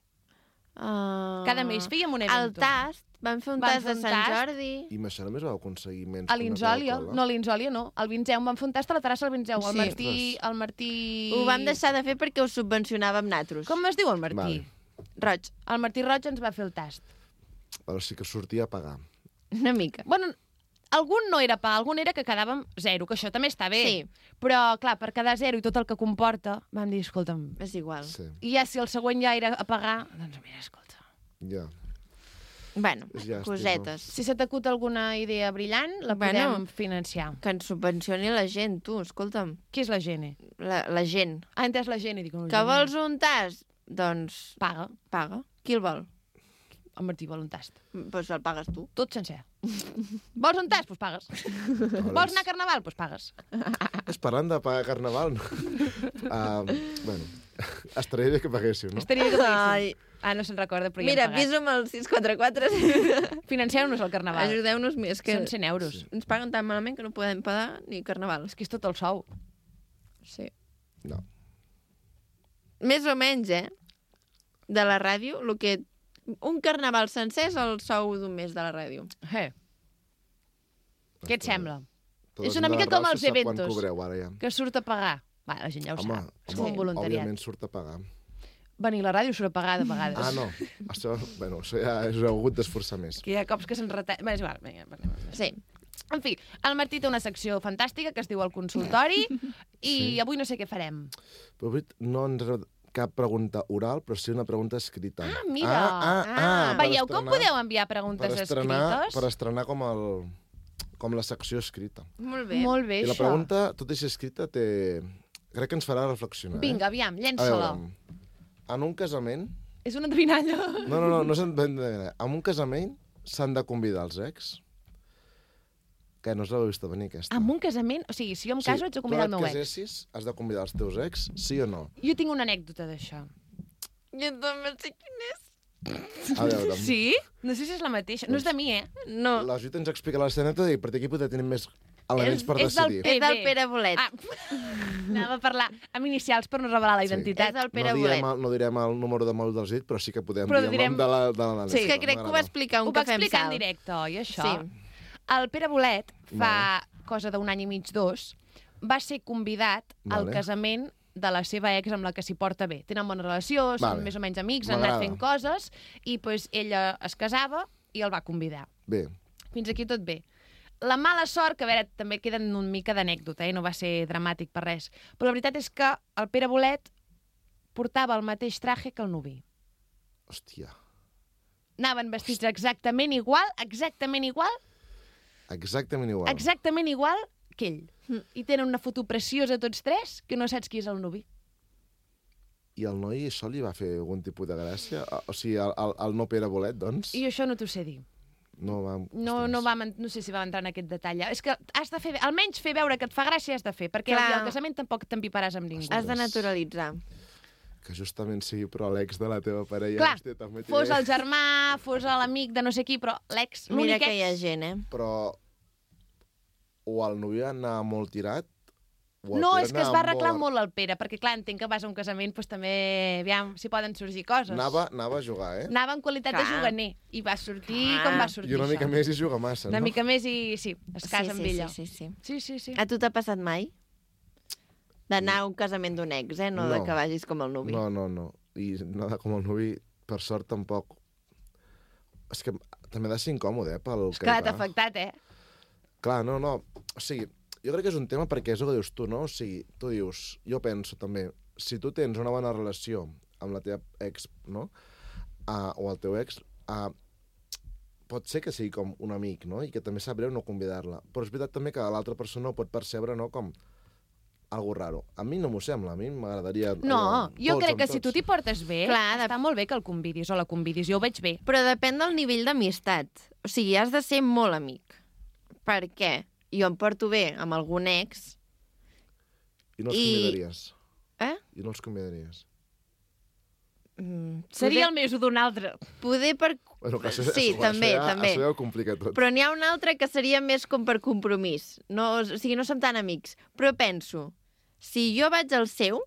Uh... Cada mes fèiem un El evento. tast. Vam fer un Vam tast fer de un Sant tast. Jordi. I amb això només vau aconseguir menys A que una l'Insòlia. Coca-Cola? No, a l'Insòlia no. Al Vinzeu vam fer un tast a la terrassa del Vinzeu. El Sí. Martí... El Martí... Ho vam deixar de fer perquè ho subvencionàvem natros. Com es diu el Martí? Vale. Roig. El Martí Roig ens va fer el tast. Però sí que sortia a pagar. Una mica. Bueno, algun no era pa, algun era que quedàvem 0, que això també està bé. Sí. Però, clar, per quedar 0 i tot el que comporta, vam dir, escolta'm... És igual. Sí, I ja si el següent ja era a pagar, doncs mira, escolta. ja. Bueno, És llàstima. cosetes. Si se t'acut alguna idea brillant, la Bueno. podem financiar. Que ens subvencioni la gent, tu, escolta'm. Qui és la gent? La gent. Ah, entès la gent i dic... Que vols un tast? Doncs Paga. paga. Qui el vol? El Martí vol un tast. Doncs el pagues tu. Tot sencer. Vols un tast? Doncs pagues. Vols anar a Carnaval? Doncs pagues. És parlant de pagar carnaval, no? Bueno, estaria bé que paguéssiu, no? Estaria bé que paguéssim. Ai. Ah, no se'n recorda, però Mira, ja hem pagat. visum al 644. Financeu-nos el Carnaval. Ajudeu-nos més, que Són 100 euros. ens paguen tan malament que no podem pagar ni carnaval. És que és tot el sou. Sí. No. Més o menys, de la ràdio, el que... Un carnaval sencer és el sou d'un mes de la ràdio. Què et sembla? Tot És el una de mica la com Rauxa els sap eventos. Quan cobreu, ara ja. Que surt a pagar. Va, la gent ja ho sap. És com un voluntariat. òbviament surt a pagar. Venir a la ràdio surt a pagar de vegades. Ah, no. Això, bueno, això ja us heu hagut d'esforçar més. Que hi ha cops que se'n retalla... Va, és igual, vinga, parlem. Sí. En fi, el Martí té una secció fantàstica que es diu El Consultori i Sí. avui no sé què farem. Però avui no ens ha cap pregunta oral, però sí una pregunta escrita. Ah, mira! per Veieu com estrenar- podeu enviar preguntes escrites? Per estrenar com la secció escrita. Molt bé. Molt bé, I la això. pregunta, tot i ser escrita, crec que ens farà reflexionar. Vinga, aviam, A llença-la. veure, en un casament... És una endevinalla. No s'han de... En un casament s'han de convidar els ex? Que no us l'heu vist venir, aquesta. En un casament... O sigui, si jo em caso, haig de convidar el meu Tu ex. et casessis, has de convidar els teus ex, sí o no? Jo tinc una anècdota d'això. Jo també sé quin és. A veure, Sí? No sé si és la mateixa. No és de mi, eh? No. la Judit ens explica l'esceneta i per aquí poder tenir més elements per és del decidir. És del PB. Pere Bolet. Anava a parlar amb inicials per no revelar la Sí. identitat. És del Pere No Bolet. no direm el número de mòbil dels dit, però sí que podem Però dir el direm- nom de la Sí. És que crec que ho va explicar Ho un va cafè amb explicar en sal. directe, oi, això? Sí. El Pere Bolet, fa cosa d'un any i mig, 2, va ser convidat al Vale. casament de la seva ex amb la que s'hi porta bé. Tenen bona relació, són Vale. més o menys amics, han anat M'agrada. fent coses, i pues, ella es casava i el va convidar. Bé, Fins aquí tot bé. La mala sort, que a veure, també queden una mica d'anècdota, no va ser dramàtic per res, però la veritat és que el Pere Bolet portava el mateix traje que el nuvi. hòstia, Anaven vestits exactament igual exactament igual. exactament igual que ell. I tenen una foto preciosa tots tres, que no saps qui és el nuvi. I el noi això li va fer algun tipus de gràcia? O sigui, el no Pere Bolet, doncs? I això no t'ho sé dir. No va... No sé si va entrar en aquest detall. És que has de fer, almenys fer veure que et fa gràcia has de fer, perquè Clar. al casament tampoc t'empiparàs amb ningú. Has de naturalitzar. Que justament sigui però l'ex de la teva parella. Clar, hòstia, també fos el germà, fos l'amic de no sé qui, però l'ex, Mira l'únic que hi ha ex... gent, Però o el novio anava molt tirat, o el No, Pere és que es va anava arreglar molt el Pere, perquè clar, entenc que vas a un casament, doncs també, aviam, si poden sorgir coses. Anava a jugar, eh? Anava en qualitat de Clar. juganer, i va sortir Clar. com va sortir I una mica això. més i juga massa, Una no? mica més i sí, es casa amb ella. Sí, sí, sí. Sí, sí, sí. A tu t'ha passat mai? D'anar a un casament d'un ex, no, de No. que vagis com el nuvi. No. I nada com el nuvi, per sort, tampoc. És que també ha de ser incòmode, pel És que que hi l'ha va. afectat, Clar, no. O sigui, jo crec que és un tema perquè és el que dius tu, no? O sigui, tu dius, jo penso també, si tu tens una bona relació amb la teva ex, no? O el teu ex, pot ser que sigui com un amic, no? I que també sap greu no convidar-la. Però és veritat també que l'altra persona ho pot percebre, no? Com algo raro. A mi no m'ho sembla, a mi m'agradaria... No, jo tots crec amb que si tu tots. t'hi portes bé, Clar, està molt bé que el convidis o la convidis, jo ho veig bé. Però depèn del nivell d'amistat. O sigui, has de ser molt amic. Per què? Jo em porto bé amb algun ex... I no els I- convidaries. Eh? I no els convidaries. Seria el més d'un altre. Poder per... Bueno, que això, Sí, també. Això ja ho complica tot. Però n'hi ha un altre que seria més com per compromís. No, o sigui, no som tan amics. Però penso, si jo vaig al seu,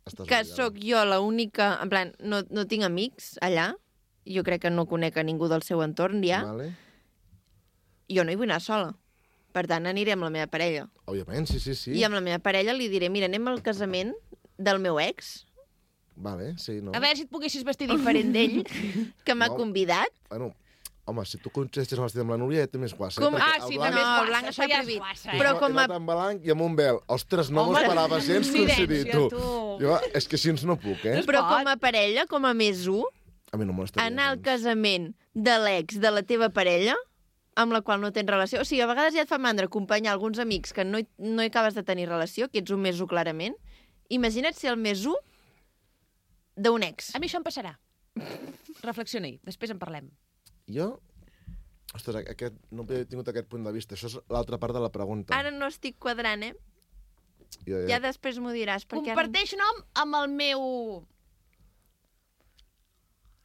Estàs que obligada. sóc jo l'única... En plan, no tinc amics allà, jo crec que no conec a ningú del seu entorn ja, Vale. jo no hi vull anar sola. Per tant, aniré amb la meva parella. Òbviament, sí. I amb la meva parella li diré, mira, anem al casament del meu ex, Vale, sí, no. A veure si et poguessis vestir diferent d'ell. que m'ha No. convidat. Bueno, home, si tu coincideixes amb l'estil amb la Núria ja té més guassa. Com- perquè Ah, sí, el també blanc, és No, guassa, el blanc això està ja és prohibit. guassa, Però he com a- anat amb blanc i amb un vel. Ostres, no m'ho Home, esperava gens silenci, coincidir, tu. tu. Jo, és que així no puc, eh? No es Però pot. com a parella, com a més un, A mi no m'estaria anar al gens. casament de l'ex de la teva parella, amb la qual no tens relació. O sigui, a vegades ja et fa mandra acompanyar alguns amics que no hi acabes de tenir relació, que ets un més un clarament. Imagina't ser el més un d'un ex. A mi això em passarà. Reflexiona-hi, després en parlem. Jo? Ostres, no he tingut aquest punt de vista. Això és l'altra part de la pregunta. Ara no estic quadrant, eh? Jo, Ja després m'ho diràs. Perquè Comparteix nom amb el meu...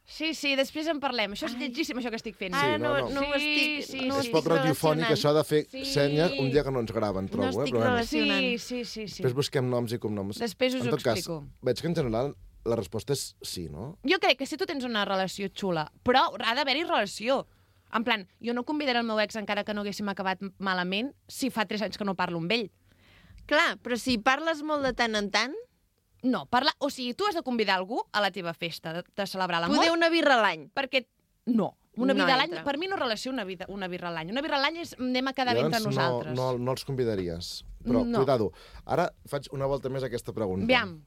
Sí, després en parlem. Això és lletgíssim, això que estic fent. Ara no, no, no. ho estic... Sí, no ho És estic poc radiofònic, relacionant. això de fer Sí. senyes un dia que no ens graven, trobo. estic Però bueno, relacionant. Sí. després busquem noms i cognoms. Després us En ho tot cas, explico. veig que en general la resposta és sí, no? Jo crec que si tu tens una relació xula, però ha d'haver-hi relació. En plan, jo no convidaré el meu ex encara que no haguéssim acabat malament si fa 3 anys que no parlo amb ell. Clar, però si parles molt de tant en tant, No, parla... O sigui, tu has de convidar algú a la teva festa de celebrar l'amor. poder una birra a l'any. Perquè... No. Una No vida a l'any, entra. per mi no relació una birra a l'any. Una birra a l'any és anem a quedar bé entre Llavors nosaltres. no els convidaries. Però, No. cuidado, ara faig una volta més a aquesta pregunta. Aviam.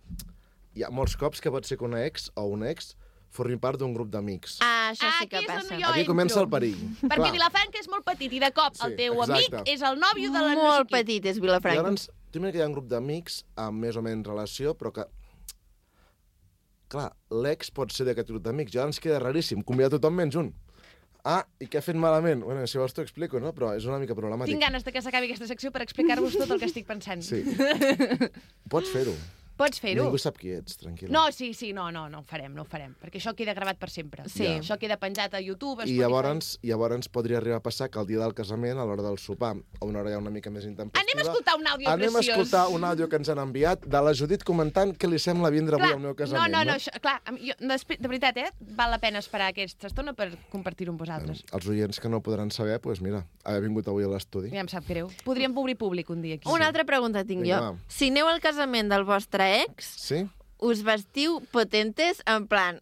Hi ha molts cops que pot ser que una ex o un ex formi part d'un grup d'amics. Ah, això sí que aquí és on passa. jo Aquí entro. comença el perill. Perquè Clar. Vilafranca és molt petit i de cop Sí, el teu exacte. amic és el nòvio de la no Molt sé qui. petit és I Vilafranca. llavors, tu mira que hi ha un grup d'amics amb més o menys relació, però que... Clar, l'ex pot ser d'aquest grup d'amics. Ja ens queda raríssim convidar tothom menys un. Ah, i què ha fet malament? Bueno, si vols t'ho explico, no? Però és una mica problemàtic. Tinc ganes de que s'acabi aquesta secció per explicar-vos tot el que estic pensant. Sí. Pots fer-ho. Pots fer-ho. Ningú sap qui ets, tranquil. No, sí, no ho farem, perquè això queda gravat per sempre. Sí. Ja. Això queda penjat a YouTube, a I Spotify. llavors podria arribar a passar que el dia del casament, a l'hora del sopar, a una hora ja una mica més intempestiva... Anem a escoltar un àudio Anem a preciós. escoltar un àudio que ens han enviat de la Judit comentant què li sembla vindre avui al meu casament. No, això, clar, de veritat, val la pena esperar aquesta estona per compartir-ho amb vosaltres. Els oients que no podran saber, doncs mira, haver vingut avui a l'estudi. Ja em sap greu. Podríem obrir públic un dia aquí. Una altra pregunta tinc Vinga, jo. va. Si aneu al casament del vostre ex, Sí? us vestiu potentes en plan...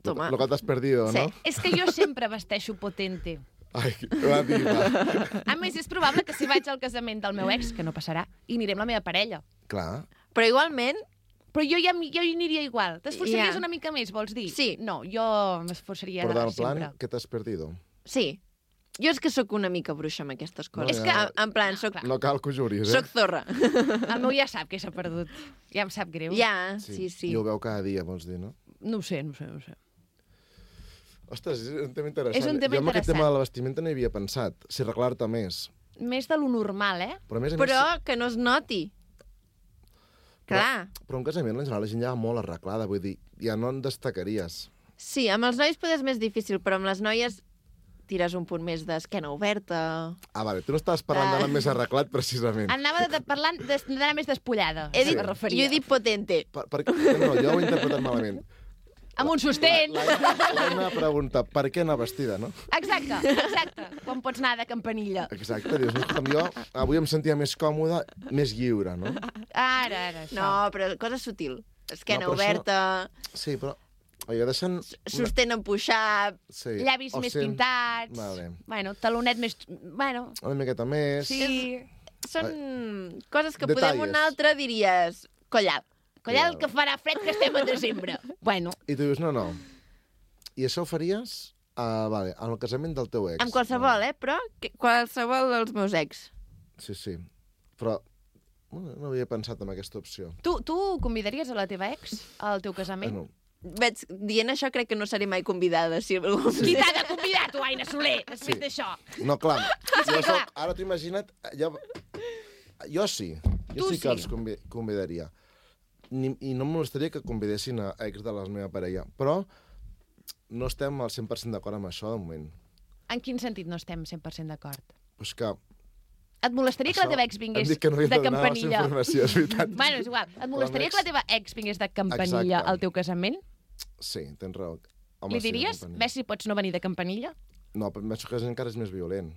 Toma. Lo que t'has perdido, Sí. no? És que jo sempre vesteixo potente. Ai, la diva. A més, és probable que si vaig al casament del meu ex, que no passarà, i aniré amb la meva parella. Clar. Però igualment, Però jo hi aniria igual. T'esforçaries Ja. una mica més, vols dir? Sí. No, jo m'esforçaria Però del sempre. plan, què t'has perdido? sí. Jo és que sóc una mica bruixa amb aquestes coses. No, És ja. que, en plan, soc, No cal que ho juris, soc zorra. El meu ja sap que s'ha perdut. Ja em sap greu. Ja, sí. I ho veu cada dia, vols dir, no? No ho sé. Ostres, és un tema interessant. És un tema jo amb aquest interessant. tema de la vestimenta no hi havia pensat. Si arreglar-te més. Més de lo normal, eh? Però a més, Però que no es noti. Clar. Però un casament, en general, la gent ja va molt arreglada. Vull dir, ja no en destacaries. Sí, amb els nois potser és més difícil, però amb les noies tires un punt més d'esquena oberta. Ah, vale, tu no estaves parlant d'anar més arreglat, precisament. Anava parlant d'anar més despullada. He dit, es referia. jo he dit potente. No, jo ho he interpretat malament. Amb un sostén. L'Anna pregunta, per què anar vestida, no? Exacte. Quan pots anar de campanilla. Exacte, dius, no, escolta'm, jo avui em sentia més còmode, més lliure, no? Ara, això. No, però cosa sutil. Esquena No, però oberta, Sí, però... Oiga, deixant... sostén empuixat... Sí. Llavis o més sent- pintats. Vale. Bueno, talonet més... Bueno, Una miqueta més... sí. Són coses que Detalles. podem un altre diries... Collat. Collar que farà fred que estem a desembre. Bueno, I tu dius, no. I això ho faries vale, en el casament del teu ex. Amb qualsevol, però qualsevol dels meus ex. Sí. Però no havia pensat en aquesta opció. tu convidaries a la teva ex al teu casament? Bueno, Veig, dient això crec que no seré mai convidada. Si algú... Qui t'ha de convidar, tu, Aina Soler, després Sí. d'això? no, clar. Ara t'ho imagina't... Jo sí. Jo Tu sí que sí. els convidaria. I no em molestaria que convidessin a ex de la meva parella. Però no estem al 100% d'acord amb això, de moment. En quin sentit no estem 100% d'acord? Pues que... Et molestaria que la teva ex Hem vingués dit que no de havíem de donar la campanilla? informació, és veritat. Bueno, és igual. Et molestaria L'ex- que la teva ex vingués de campanilla Exacte. al teu casament? Sí, tens raó. Home, Li sí, diries, companyia. ves si pots no venir de campanilla? No, però penso que encara és més violent.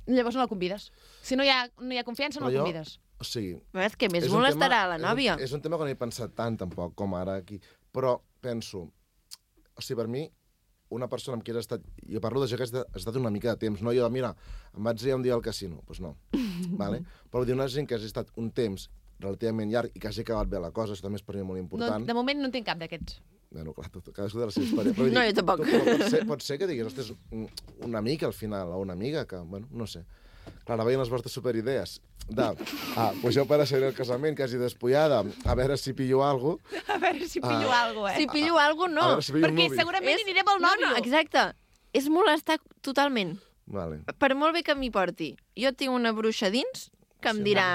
Llavors no la convides. Si no hi ha confiança, no la convides. O sigui... És que més és un molestarà tema- la nòvia. És un tema que no he pensat tant, tampoc, com ara aquí. Però penso... O sigui, per mi, una persona amb qui has estat... Jo parlo d'això que has estat una mica de temps. No jo, mira, em vaig dir un dia al casino. Doncs pues no. Vale? Però vull dir, una gent que has estat un temps relativament llarg i que hagi acabat bé la cosa, això també és per mi molt No, important. de moment no en tinc cap d'aquests. Bueno, clar, cadascú de la seva història. Però vull No, jo tampoc. Però pot ser que diguis, ostres, una amiga al final, o una amiga que, bueno, no sé. Clar, ara veien les vostres superidees. Pues jo per ser el casament quasi despullada, a veure si pillo alguna cosa. A veure si pillo alguna cosa, Si pillo alguna A no. veure si pillo un Perquè nuvi. segurament anirem al nòvio. No, exacte. És molestar totalment. Vale. Per molt bé que m'hi porti. Jo tinc una bruixa dins que em dirà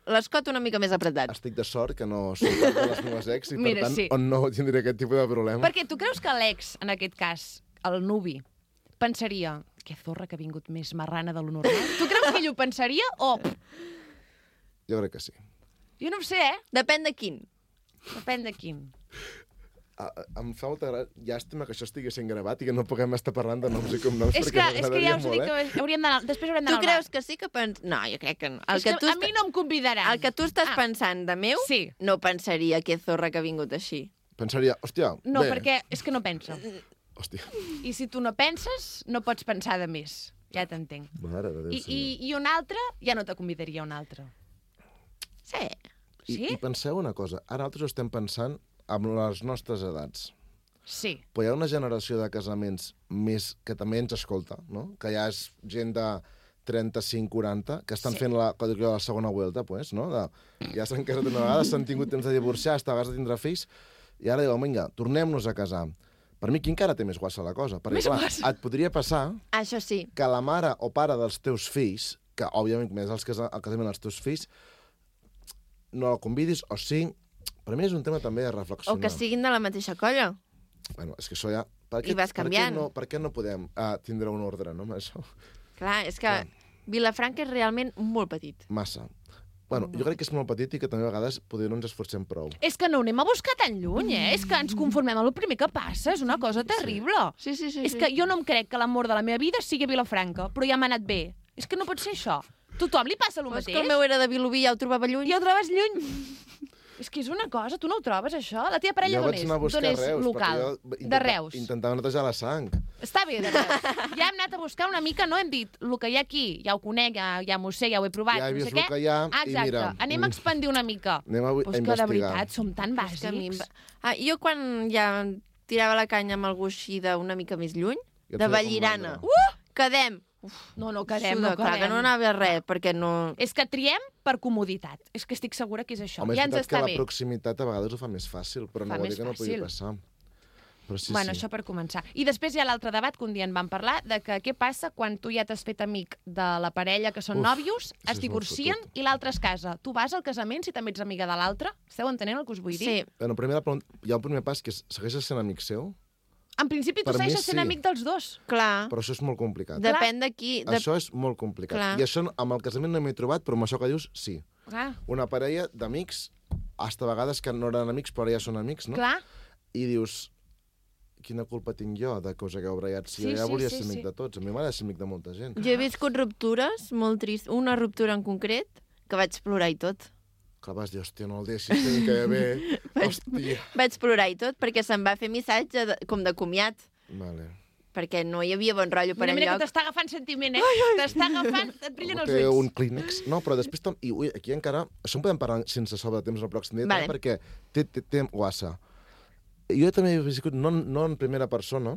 l'escot una mica més apretat. Estic de sort que no soc cap de les meves ex i, Mira, per tant, sí. on no tindré aquest tipus de problema. Perquè tu creus que l'ex, en aquest cas, el nuvi, pensaria que zorra que ha vingut més marrana de lo normal? Tu creus que ell ho pensaria o... Jo crec que sí. Jo no ho sé, Depèn de quin. Depèn de quin. Em fa molta llàstima que això estigui sent gravat i que no puguem estar parlant de noms i cognoms És perquè que ja m'agradaria us dic molt, que hauríem d'anar... Després haurem Tu d'anar creus que sí que No, jo crec que no. És que a mi no em convidaran. El que tu estàs pensant de meu, Sí. no pensaria que zorra que ha vingut així. Pensaria, hòstia, No, bé. perquè és que no pensa. Hòstia, I si tu no penses, no pots pensar de més. Ja t'entenc. mare de Déu, I un altre, ja no te convidaria un altre. Sí. Sí? I penseu una cosa, ara nosaltres estem pensant amb les nostres edats. Sí. Però hi ha una generació de casaments més que també ens escolta, no? Que ja és gent de 35-40, que estan fent la segona vuelta, pues, no? Ja s'han casat una vegada, s'han tingut temps de divorciar, hasta a vegades de tindre fills, i ara diuen, vinga, tornem-nos a casar. Per mi, qui encara té més guassa la cosa? Perquè, Més clar, guassa. et podria passar Això sí. que la mare o pare dels teus fills, que òbviament més el casament dels teus fills, no la convidis, o sí, Per mi és un tema també de O reflexionar. que siguin de la mateixa colla. Bueno, és que això ja... I vas canviant. Per què no podem tindre un ordre, no, amb això? Clar, és que Clar. Vilafranca és realment molt petit. Massa. Bueno, jo crec que és molt petit i que també a vegades potser no ens esforcem prou. És que no ho anem a buscar tan lluny, És que ens conformem amb el primer que passa. És una cosa terrible. Sí. És que jo no em crec que l'amor de la meva vida sigui a Vilafranca, però ja m'ha anat bé. És que no pot ser això. Tothom li passa el Però és mateix. que el meu era de Vilobí, ja ho trobava lluny. Ja ho trobes lluny. És que és una cosa, tu no ho trobes, això? La teva parella jo d'on vaig és? anar a buscar D'on és Reus, local? perquè jo De Reus. intentava netejar la sang. Està bé, de Reus. Ja hem anat a buscar una mica, no? Hem dit, el que hi ha aquí, ja ho conec, ja m'ho sé, ja ho he provat, Ja he no vist sé el què. que hi ha i Exacte, mira, anem a expandir una mica. Anem a Però és que de investigar. veritat som tan És que a mi em bàsics. va- jo quan ja tirava la canya amb algú així d'una mica més lluny, Ja et de feia com Vallirana. mandra. Quedem. No quedem, Suda, no clar, quedem. que no anava a res, perquè no... És que triem per comoditat. És que estic segura que és això. Home, és ja ens veritat que està la bé. proximitat a vegades ho fa més fàcil, però Fa no vol més dir que no pugui fàcil. passar. Però sí, Bueno, sí. això per començar. I després hi ha l'altre debat que un dia en vam parlar, de que què passa quan tu ja t'has fet amic de la parella que són Uf, nòvios, això es és divorcien molt fotut. i l'altre es casa. Tu vas al casament si també ets amiga de l'altre? Esteu entenent el que us vull dir? Sí, Bueno, primer, hi ha un primer pas que és, segueixes sent amic seu, En principi tu Per mi segueixes sent sí. amic dels dos. clar. però això és molt complicat. Depèn de qui... Això és molt complicat. Clar. I això amb el casament no m'he trobat, però amb això que dius, sí. Clar. Una parella d'amics, hasta a vegades que no eren amics, però ara ja són amics, no? Clar. I dius, quina culpa tinc jo de que us hagueu barallat? Si Sí, jo ja sí, volia sí, ser amic sí. de tots. A mi m'agrada ser amic de molta gent. Jo he viscut ruptures molt tristes. Una ruptura en concret que vaig plorar i tot. Que vas dir, hòstia, no el deixis, que que bé. Hòstia. Vaig plorar i tot perquè se'm va fer missatge com de comiat. Vale. Perquè no hi havia bon rotllo per Mira, mira enlloc. que t'està agafant sentiment, T'està agafant, et brillen els Té ulls. un clínex. No, però després... I ui, aquí encara... Això en podem parlar sense sobre temps el pròxim dia, Vale. perquè té guassa. Jo també he viscut, no en primera persona,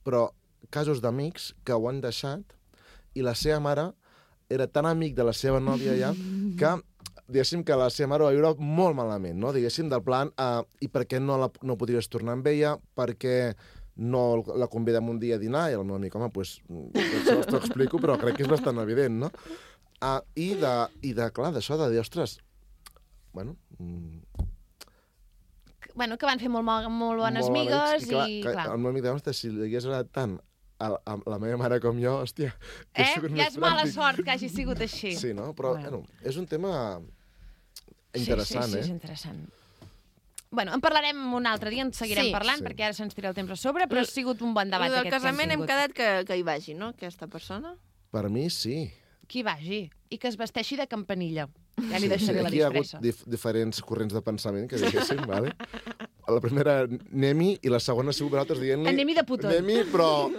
però casos d'amics que ho han deixat i la seva mare era tan amic de la seva nòvia ja que diguéssim que la seva mare ho va viure molt malament, no? Diguéssim, del plan, i per què no podries tornar amb ella, perquè no la convidem un dia a dinar, i el meu amic, home, doncs, això t'ho explico, però crec que és bastant evident, no? Clar, d'això de dir, ostres, bueno... Bueno, que van fer molt bones molt migues amics, i, que clar. el meu amic deia, ostres, si li hagués agradat tant a la meva mare com jo, hòstia... hauria sigut Ja més és mala pràctic. sort que hagi sigut així. Sí, no? Però, Bueno. és un tema interessant, sí, és interessant. Bueno, en parlarem un altre dia, en seguirem Sí. parlant, Sí. perquè ara se'ns tira el temps a sobre, però ha sigut un bon debat I del aquest casament que hem tingut. quedat que hi vagi, no? Aquesta persona. Per mi, sí. Que hi vagi. I que es vesteixi de campanilla. Ja li deixaré la Aquí hi ha hagut disfressa. diferents corrents de pensament, que diguéssim, vale? La primera, Nemi, i la segona ha sigut vosaltres dient-li... Nemi de putón. Nemi, però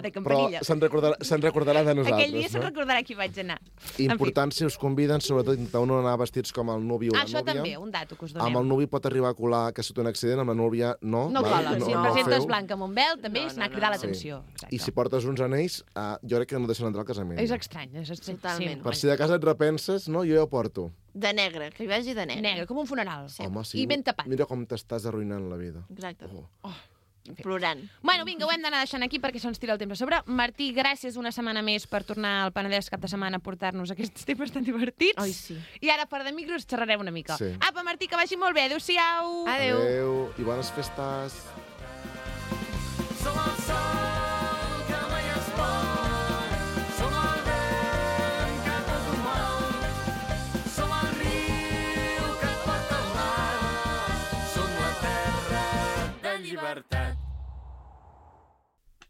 De campanilla. se'n recordarà de nosaltres, Aquell dia se'n no? recordarà qui vaig anar. Important, si us conviden, sobretot intentar no anar vestits com el nuvi o la Això núvia. també, un dato que us Amb el donem. nuvi pot arribar a colar que ha sigut un accident, amb la núvia no. No vale? cola, si et no presentes feu. blanca amb un vel, també No, és anar a no, cridar no. l'atenció. I si portes uns anells, jo crec que no deixen entrar al casament. És estrany, és estrany. Totalment. Per si de casa et repenses, no? Jo ja ho porto. De negre, que hi vagi de negre. Negre, com un funeral. Home, sí. I ben tapat. Mira com t'estàs arruïnant la vida. Exacte. Oh. Plorant. Bueno, vinga, ho hem d'anar deixant aquí perquè se'ns tira el temps a sobre. Martí, gràcies una setmana més per tornar al Penedès cap de setmana a portar-nos aquests temes tan divertits. Ai, sí. I ara, per de micros, xerrarem una mica. Sí. Apa, Martí, que vagi molt bé. Adéu-siau. Adéu. Adéu i bones festes. Som el sol que mai es pon, som el vent que tot ho mou, som el riu que et porta al mar, som la terra de llibertat.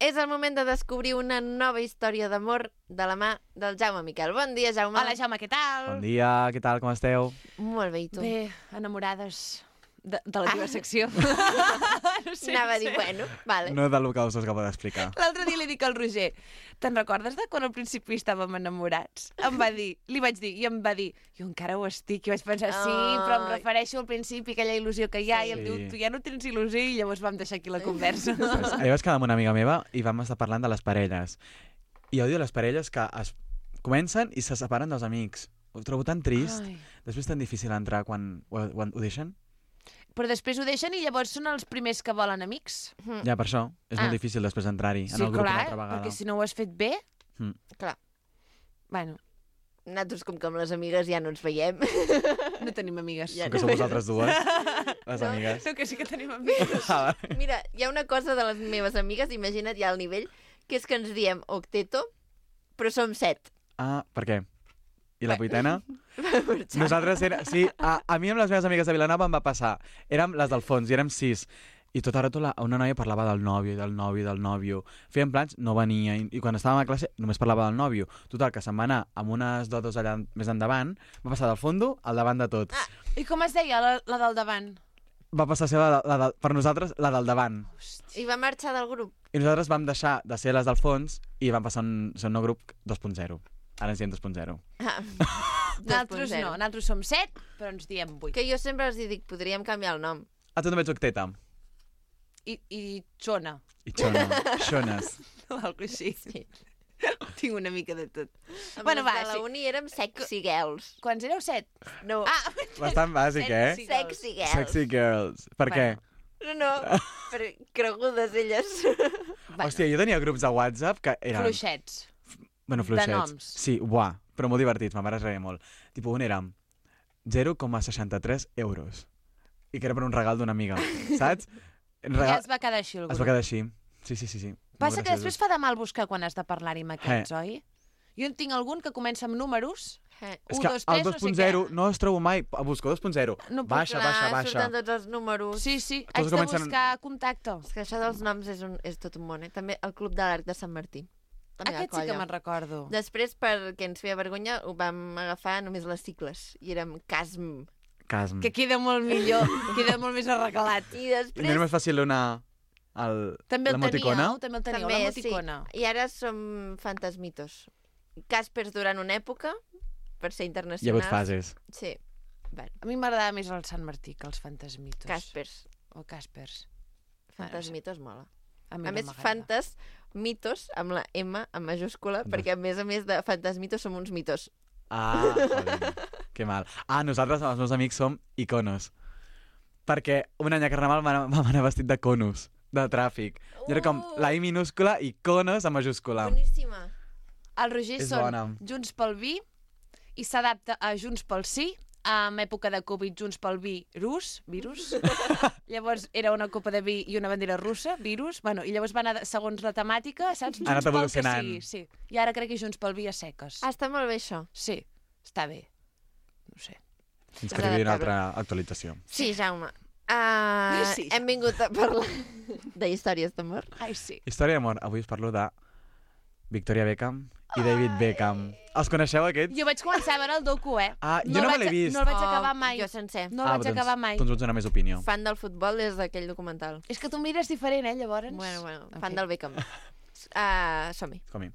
És el moment de descobrir una nova història d'amor de la mà del Jaume Miquel. Bon dia, Jaume. Hola, Jaume, què tal? Bon dia, què tal, com esteu? Molt bé, i tu? Bé, enamorades de la teva secció. No sé, Anava a no dir, sé. bueno, vale. No del que us acabo d'explicar. L'altre dia li dic al Roger, te'n recordes de quan al principi estàvem enamorats? Em va dir, li vaig dir, i em va dir, jo encara ho estic, i vaig pensar, sí, però em Ai. refereixo al principi, aquella il·lusió que hi ha, i em Sí. diu, tu ja no tens il·lusió, i llavors vam deixar aquí la conversa. Ahir vaig quedar amb una amiga meva i vam estar parlant de les parelles. I odio les parelles que comencen i se separen dels amics. Ho trobo tan trist. Ai. Després tan difícil entrar quan ho deixen. Però després ho deixen i llavors són els primers que volen amics. Ja, per això. És Ah. molt difícil després entrar-hi en Sí, el grup una clar, altra vegada. perquè si no ho has fet bé... Mm. Clar. Bueno, Nosaltres, com que amb les amigues ja no ens veiem. No tenim amigues. Ja Com que sou vosaltres dues, les amigues. No, que sí que tenim amigues. Mira, hi ha una cosa de les meves amigues, imagina't ja el nivell, que és que ens diem octeto, però som 7. Ah, per què? I la vuitena? Marxar. Nosaltres sí, a mi amb les meves amigues de Vilanova em va passar. Érem les del fons i érem 6. I tota hora una noia parlava del nòvio. Fèiem plans, no venia. I quan estàvem a classe només parlava del nòvio. Total, que se'n va anar amb unes dodos allà més endavant, va passar del fondo al davant de tots. I com es deia la del davant? Va passar a ser per nosaltres la del davant. I va marxar del grup. I nosaltres vam deixar de ser les del fons i vam passar a ser un nou grup 2.0. Ara ens diem 2.0. Ah, Nosaltres 2.0. no, nosaltres som 7, però ens diem 8. Que jo sempre els dic, podríem canviar el nom. Ah, tu també ets octeta. I xona, I xones. o alguna així. Sí. Tinc una mica de tot. Amb Bueno, les va, de la sí. uni érem sexy girls. Quants éreu? 7? No, Bastant bàsic, eh? Sexy. sexy girls. Sexy girls. Per què? No, però cregudes elles. Hòstia, jo tenia grups de WhatsApp que eren... Fluixets. Bueno, fluixets. De noms. Sí, buah, però molt divertits, ma mare es reia molt. Tipo, un era 0,63 euros. I que era per un regal d'una amiga, saps? Ja es va quedar així el Es va grup. quedar així. Sí. Passa Molt que després graciosos. fa de mal buscar quan has de parlar-hi amb aquests, oi? Jo en tinc algun que comença amb números. És 1, que 2, 3, el no sé 2.0 què. no es trobo mai. Busco 2.0. No puc- Baixa. Surten tots els números. Sí, Tots haig de comencen- buscar contacte. És que això dels noms és tot un món, eh? També el Club de l'Arc de Sant Martí. La meva Aquest sí que colla. me'n recordo. Després, perquè ens feia vergonya, ho vam agafar només les cicles. I érem CASM. Casm. Que queda molt millor, queda molt més arreglat. I I no després... és més fàcil donar També el l'emoticona? teníeu, també el teníeu, l'emoticona. sí. I ara som fantasmitos. Caspers durant una època, per ser Hi ha internacionals. hagut fases. Sí. Bueno, A mi m'agradava més el Sant Martí que els fantasmitos. Caspers. O Caspers. Fantasmitos mola. A, mi A no més, m'agrada. fantasmitos, amb la M en majúscula, perquè a més de fantasmitos som uns mitos. Ah, joder, que mal. Ah, nosaltres, els meus amics, som iconos. Perquè un any a Carnaval vam anar vestit de conos, de tràfic. I era com la I minúscula i conos en majúscula. Boníssima. El Roger És són bona. Junts pel Vi i s'adapta a Junts pel Sí, en època de Covid, Junts pel virus. Llavors era una copa de vi i una bandera russa, virus. Bueno, i llavors va anar segons la temàtica, saps? Ha anat Junts pel que evolucionant. sigui, sí. I ara crec que Junts pel Vi a seques. Ah, està molt bé, això. Sí, està bé. No sé. Fins que arribi una altra actualització. Sí, Jaume. Sí, Hem vingut a parlar de històries d'amor. Ai, sí. Història d'amor. Avui us parlo de Victoria Beckham i David Beckham. Els coneixeu, aquests? Jo vaig començar a veure el docu, eh? Ah, jo no me l'he vist. No el vaig acabar mai. Jo sencer. No el vaig acabar mai. Doncs vaig donar més opinió. Fan del futbol des d'aquell documental. És que tu mires diferent, eh, llavors? Bueno, En fan fi. del Beckham. Som-hi. Com-hi.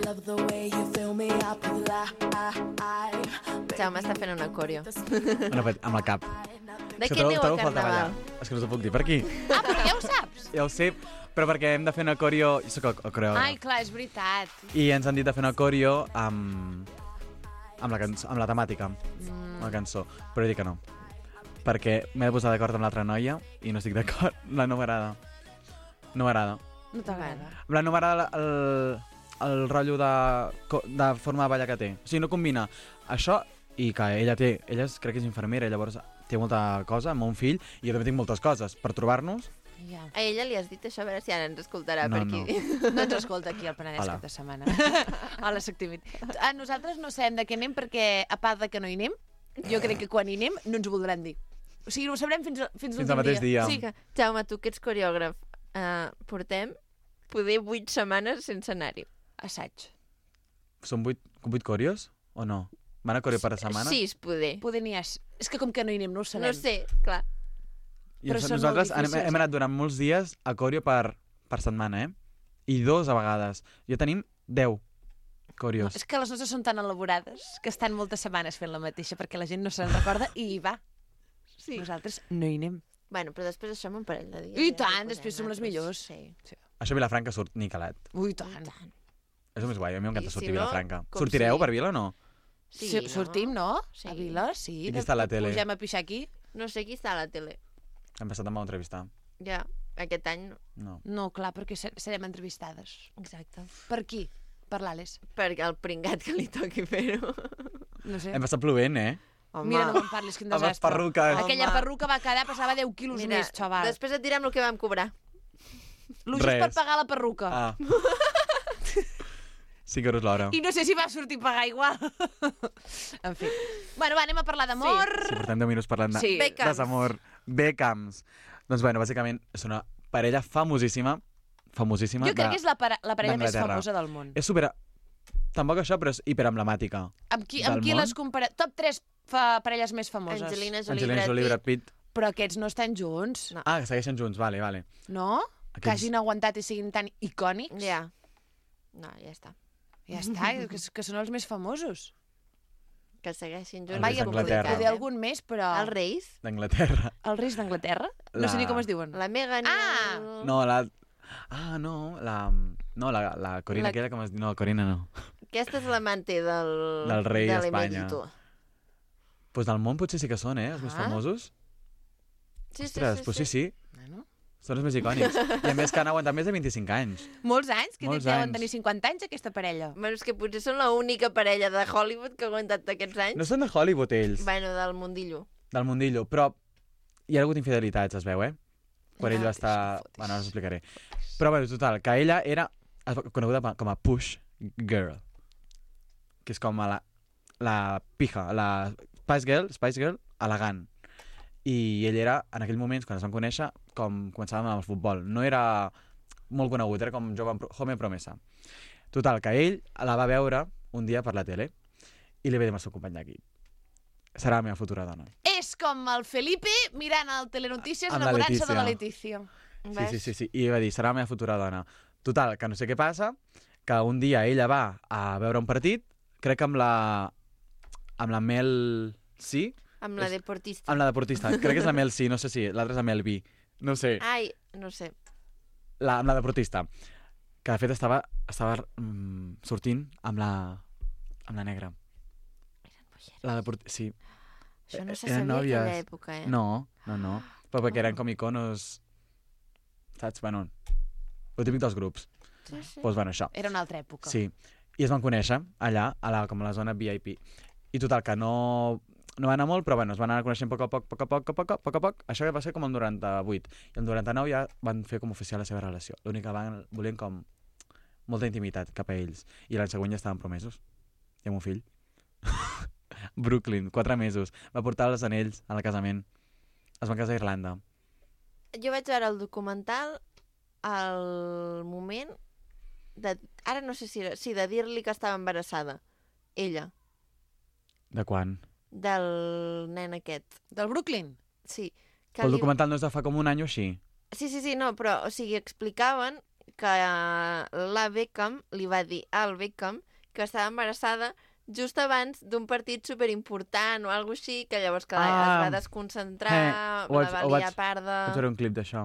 Love the way you fill me up with life. Jaume està fent una coreo. Bueno, amb el cap. De És que què aneu a trobo falta ballar. Carnaval? És que no t'ho puc dir per aquí. Ah, però ja ho saps. Ja ho sé, però perquè hem de fer una coreo... Jo soc el coreògraf. Ai, clar, és veritat. I ens han dit de fer una coreo amb la temàtica, amb la cançó. Però he dit que no. Perquè m'he de posar d'acord amb l'altra noia i no estic d'acord. La no m'agrada. No m'agrada. No t'agrada. En plan, no m'agrada el rotllo de forma de ballar que té. O sigui, no combina això i que ella crec que és infermera, llavors té molta cosa amb un fill, i jo també tinc moltes coses. Per trobar-nos, Ja. A ella li has dit això, a veure si ara ens escoltarà No, per aquí. No ens escolta aquí al Penedès Hola. cap de setmana. Hola, soc tímid. Nosaltres no sabem de què anem perquè, a part de que no hi anem, jo crec que quan hi anem no ens ho voldran dir. O sigui, ho sabrem fins Fins al mateix dia. Sí, Que, Jaume, tu que ets coreògraf, portem poder 8 setmanes sense anar-hi. assaig. són 8 coreos o no? Van a coreo per setmana? 6, poder. Poder n'hi ha... És que com que no hi anem no ho sabem. No sé, clar. I Però són nosaltres molt difícils, hem anat durant molts dies a coreo per setmana, eh? I 2 a vegades. Ja tenim 10 coreos. És que les nostres són tan elaborades que estan moltes setmanes fent la mateixa perquè la gent no se'n recorda i hi va. Sí. Nosaltres no hi anem. Bueno, però després això un parell de dies. I ja tant, podem després som les anar-nos. millors. Sí. Això a Vilafranca surt Nicalat. Ui, tant. És el més guai, a mi m'encanta I si sortir a no, Vilafranca. com Sortireu si- per Vila o no? Sí, Sí, sortim, no? Sí. A Vila, sí. I qui està a la tele? Pugem a pixar aquí? No sé qui està a la tele. Hem passat em va entrevistar. Ja, aquest any no. No. No, clar, perquè serem entrevistades. Exacte. Per qui? Per l'Àlex. Perquè el pringat que li toqui fer-ho. No sé. Hem passat plovent, eh? Home, Mira, no me'n parlis, quin Amb les desastre. perruques. Aquella Home. perruca va quedar, pesava 10 quilos mira, més, xaval. després et direm el que vam cobrar. Lo just Res. per pagar la perruca. Ah. 5 euros l'hora. I no sé si va sortir a pagar igual. En fi. Bueno, va, anem a parlar d'amor. Si portem 10 minuts parlant de Sí. Beckhams. desamor. Beckhams. Doncs bueno, bàsicament és una parella famosíssima. Famosíssima. Jo crec que és la parella més d'Anglaterra. famosa del món. És super... Tampoc això, però és hiperemblemàtica. Amb qui del món. les compara? Top 3 parelles més famoses. Angelina Jolie, Angelina Jolie, Brad Pitt. Però aquests no estan junts, No. Ah, que segueixen junts, vale, vale. no? Que Aquests- hagin aguantat i siguin tan icònics. Ja. No, ja està. Ja està, que són els més famosos. Que segueixin Els junts. reis és d'Anglaterra. complicat, Poder algun més, però... Els reis? D'Anglaterra. Els reis d'Anglaterra? No sé ni com es diuen. La Meghan i Ah! el... No, la... Ah, no, la... No, la Corina, La- aquella com es diu... No, Corina no. Aquesta és l'amante Del rei de d'Espanya. l'emèrito. Pues del món potser sí que són, eh? Els més Ah. famosos. Sí, Ostres, pues sí. Bueno. Són els més icònics. I a més que han aguantat més de 25 anys. Molts anys, que Molts deuen anys. tenir 50 anys, aquesta parella. Bueno, és que potser són l'única parella de Hollywood que ha aguantat aquests anys. No són de Hollywood, ells, Bueno, del mundillo. del mundillo, però hi ha hagut infidelitats, es veu, eh? Quan ell va estar... fotis. Bueno, ara us explicaré. Però, bueno, total, que ella era coneguda com a push girl, que és com a la pija, la Spice Girl elegant. I ell era, en aquell moments, quan es van conèixer, com començàvem amb el futbol. No era molt conegut, era com jove promesa. Total, que ell la va veure un dia per la tele i li va dir al seu company d'equip: serà la meva futura dona. És com el Felipe mirant el Telenotícies Amb la enamorant-se de la Letícia. Letícia. Sí. I va dir, serà la meva futura dona. Total, que no sé què passa, que un dia ella va a veure un partit, crec que amb la Mel C, Amb la deportista. amb la deportista. Crec que és la Mel C, no sé si, l'altra és la Mel B. No sé, Ai, no sé. amb la deportista. Que de fet estava sortint amb la negra. Sí. Això no se Eren sabia a aquella nòvies. època, eh? No. Però perquè eren com iconos... Saps? Bueno, el típic dels grups. Sí. Doncs bueno, això. Era una altra època. Sí. I es van conèixer allà, com a la zona VIP. I total, que no va anar molt, però bueno, es van anar coneixent a poc. Això va ser com el 98. I el 99 ja van fer com oficial la seva relació. L'únic que volien com molta intimitat cap a ells. I l'any següent ja estaven promesos. I amb un fill. Brooklyn, 4 mesos. Va portar els anells al casament. Es van casar a Irlanda. Jo vaig veure el documental al moment de... Ara no sé si era... Sí, de dir-li que estava embarassada. Ella. De quan? Del nen aquest. Del Brooklyn? Sí. Que El li- documental no és de fa com un any o així? Sí, no, però, o sigui, explicaven que la Beckham li va dir al Beckham que estava embarassada just abans d'un partit superimportant o alguna així, que llavors que es va desconcentrar, ho la va vaig- liar parda... Vaig veure un clip d'això.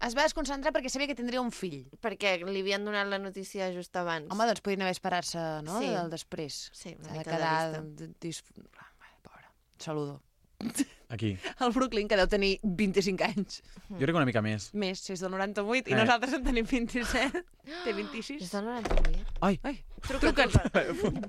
Es va desconcentrar perquè sabia que tindria un fill. Perquè li havien donat la notícia just abans. Home, doncs podien haver esperar-se, no?, Sí. del després. Sí, una S'ha de mica de quedar... vista. Pobre. Saludo. Aquí. El Brooklyn, que deu tenir 25 anys. Jo crec que una mica més. Més, si és del 98, i Eh. nosaltres en tenim 27. Té 26. És del 98. Ai! Ai,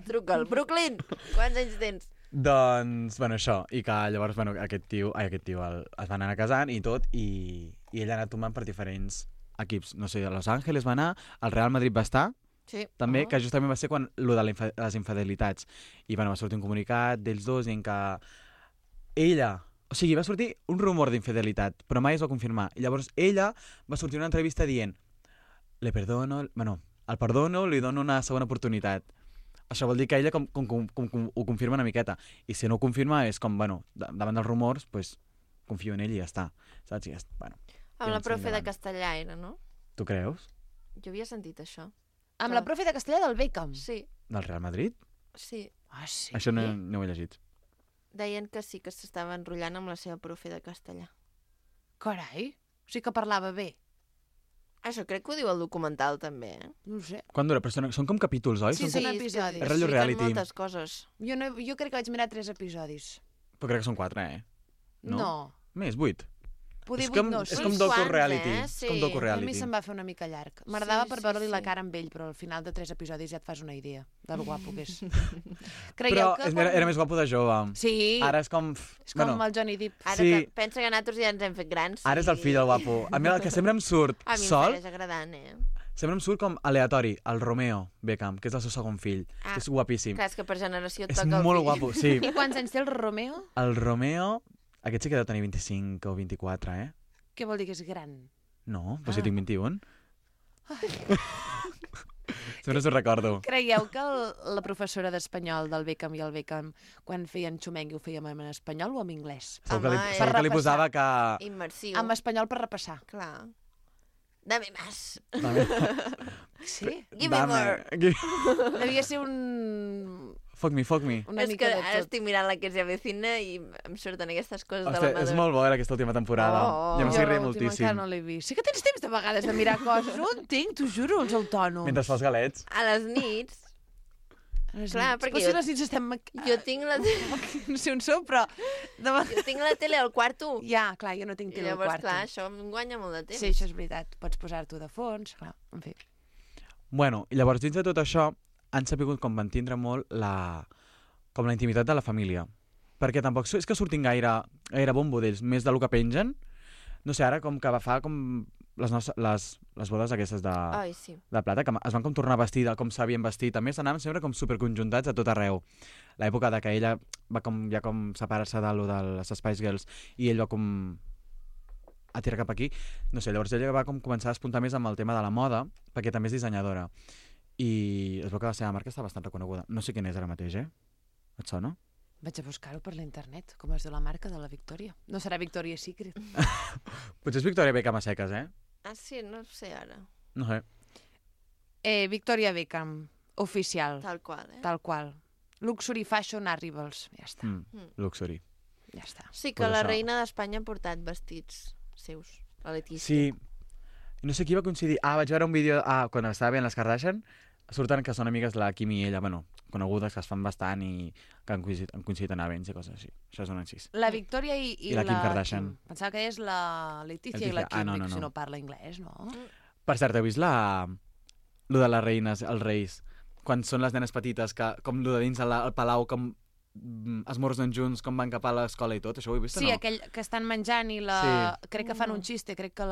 Truca'l. Brooklyn, quants anys tens? Doncs, bueno, això. I que llavors, bueno, aquest tio es van anar casant i tot, i ell ha anat tomant per diferents equips. No sé, a Los Angeles va anar, al Real Madrid va estar, Sí. també, que justament va ser quan lo de les infidelitats. I bueno, va sortir un comunicat d'ells dos dient que ella... O sigui, va sortir un rumor d'infidelitat, però mai es va confirmar. I llavors ella va sortir una entrevista dient le perdono... Bueno, el perdono, li dono una segona oportunitat. Això vol dir que ella com ho confirma una miqueta. I si no ho confirma és com, bueno, davant dels rumors, pues, confio en ell i ja està. Saps? I ja està. Bueno, Amb la Tens profe de endavant. castellà era, no? tu creus? Jo havia sentit això. amb la profe de castellà del Beckham. Sí, Del Real Madrid? sí. Ah, sí? Això no ho he llegit. Deien que sí, que s'estava enrotllant amb la seva profe de castellà. Carai, o sigui que parlava bé. Això crec que ho diu el documental, també. No ho sé. Quan dura? Però són com capítols, oi? Sí, Són són com... episodis. És rotllo expliquen reality. moltes coses. Jo crec que vaig mirar 3 episodis. Però crec que són 4, No? Més, 8. Poder És 8 com, no. és Són com uns docu quants, reality. sí. És com docu A mi reality. se'm va fer una mica llarg. M'agradava per sí, veure-li la sí. cara amb ell, però al final de 3 episodis ja et fas una idea del guapo que és. Però Creieu que... era més guapo de jove. Sí, Ara és com... és com el Johnny Depp. Ara Sí. que pensa que nosaltres ja ens hem fet grans. Ara és el fill del guapo. A mi el que sempre em surt A mi em sol, segueix agradant, sempre em surt com aleatori, el Romeo Beckham, que és el seu segon fill, Ah, que és guapíssim. Clar, és que per generació et És toca el molt fill. guapo, sí. I quants anys té el Romeo? El Romeo, aquest sí que deu tenir 25 o 24, Què vol dir que és gran? No, però si tinc 21. Sempre s'ho recordo. Creieu que la professora d'espanyol del Beckham i el Beckham, quan feien xumengui, ho fèiem en espanyol o en anglès? Segur que li, Home, segur que li per posava que... Immersiu. En espanyol per repassar. Clar. Dame más. Sí? Give me more. Devia ser un... Fuck me. una És mica que de ara tot. estic mirant la que es avecina i em surten aquestes coses de Hòstia, la és Madonna. molt bo aquesta última temporada. Oh. Ja m'estic Jo rient l'última moltíssim. encara no l'he vist. Sí que tens temps de vegades de mirar coses. No entenc, t'ho juro, els autònoms. Mentre fas galets. A les nits, Les clar, nits. perquè Potser jo- les nits estem... jo tinc la, No sé on sou, però... jo tinc la tele al quarto. Ja, clar, jo no tinc I tele al llavors, quarto. clar, això em guanya molt de temps. Sí, això és veritat. Pots posar-t'ho de fons, clar, en fi. Bueno, i llavors dins de tot això han sabut com mantindre molt la intimitat de la família. Perquè tampoc és que surtin gaire bombo d'ells, més del que pengen. No sé, ara com que va fa com les bodes aquestes Ai, sí. de plata, que es van com tornar a vestir com s'havien vestit. A més, anaven sempre com superconjuntats a tot arreu. L'època de que ella va ja com separar-se de les Spice Girls i ell va com a tirar cap aquí. No sé, llavors ella va com començar a espuntar més amb el tema de la moda, perquè també és dissenyadora. I es veu que la seva marca està bastant reconeguda. No sé quin és ara mateix, Et sona? Vaig a buscar-ho per l'internet, com es diu la marca de la Victòria. No serà Victoria's Secret. Potser és Victoria Beckham a seques, Ah, sí, no sé ara. No sé. Victoria Beckham, oficial, Tal qual, tal qual. Luxury Fashion Arrivals, ja està, Luxury. ja està. Sí, que Pues la això. reina d'Espanya ha portat vestits seus, la Letícia. Sí. No sé qui va coincidir. Vaig veure un vídeo... quan estava veient les Kardashian, surten que són amigues la Kim i ella, bueno, conegudes, que es fan bastant i que han coincidit en events i coses així. Això és un encís. La Victòria i I la Kim Kardashian. Kim. Pensava que és la Letícia i la Letícia. Kim, No, dic, no, no. si no parla anglès, no? Per cert, heu vist lo de les reines, els reis? Quan són les nenes petites, que com lo de dins al palau, com esmorzen junts, com van cap a l'escola i tot, això ho he vist o Sí, no? aquell que estan menjant i la... Sí. Crec que fan un xiste, crec que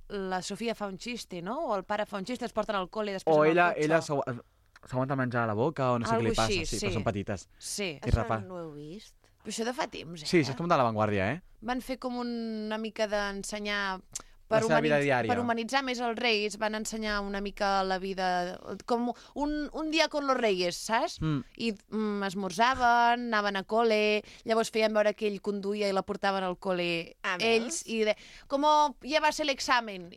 la Sofia fa un xiste, no? O el pare fa un xiste, es porten al col·le i després O en el ella cotxe. s'aguanta menjar a la boca o no sé què Algo li passa. així, Sí, sí. però són petites. Sí. I Això rapa. no ho he vist. Però això de fa temps, Sí, això és com de l'avantguàrdia, Van fer com una mica d'ensenyar... La seva vida diària. Per humanitzar més els reis, van ensenyar una mica la vida... Com un dia con los reyes, saps? I esmorzaven, anaven a col·le, llavors feien veure que ell conduïa i la portaven al col·le ells, i com ja va ser l'examen.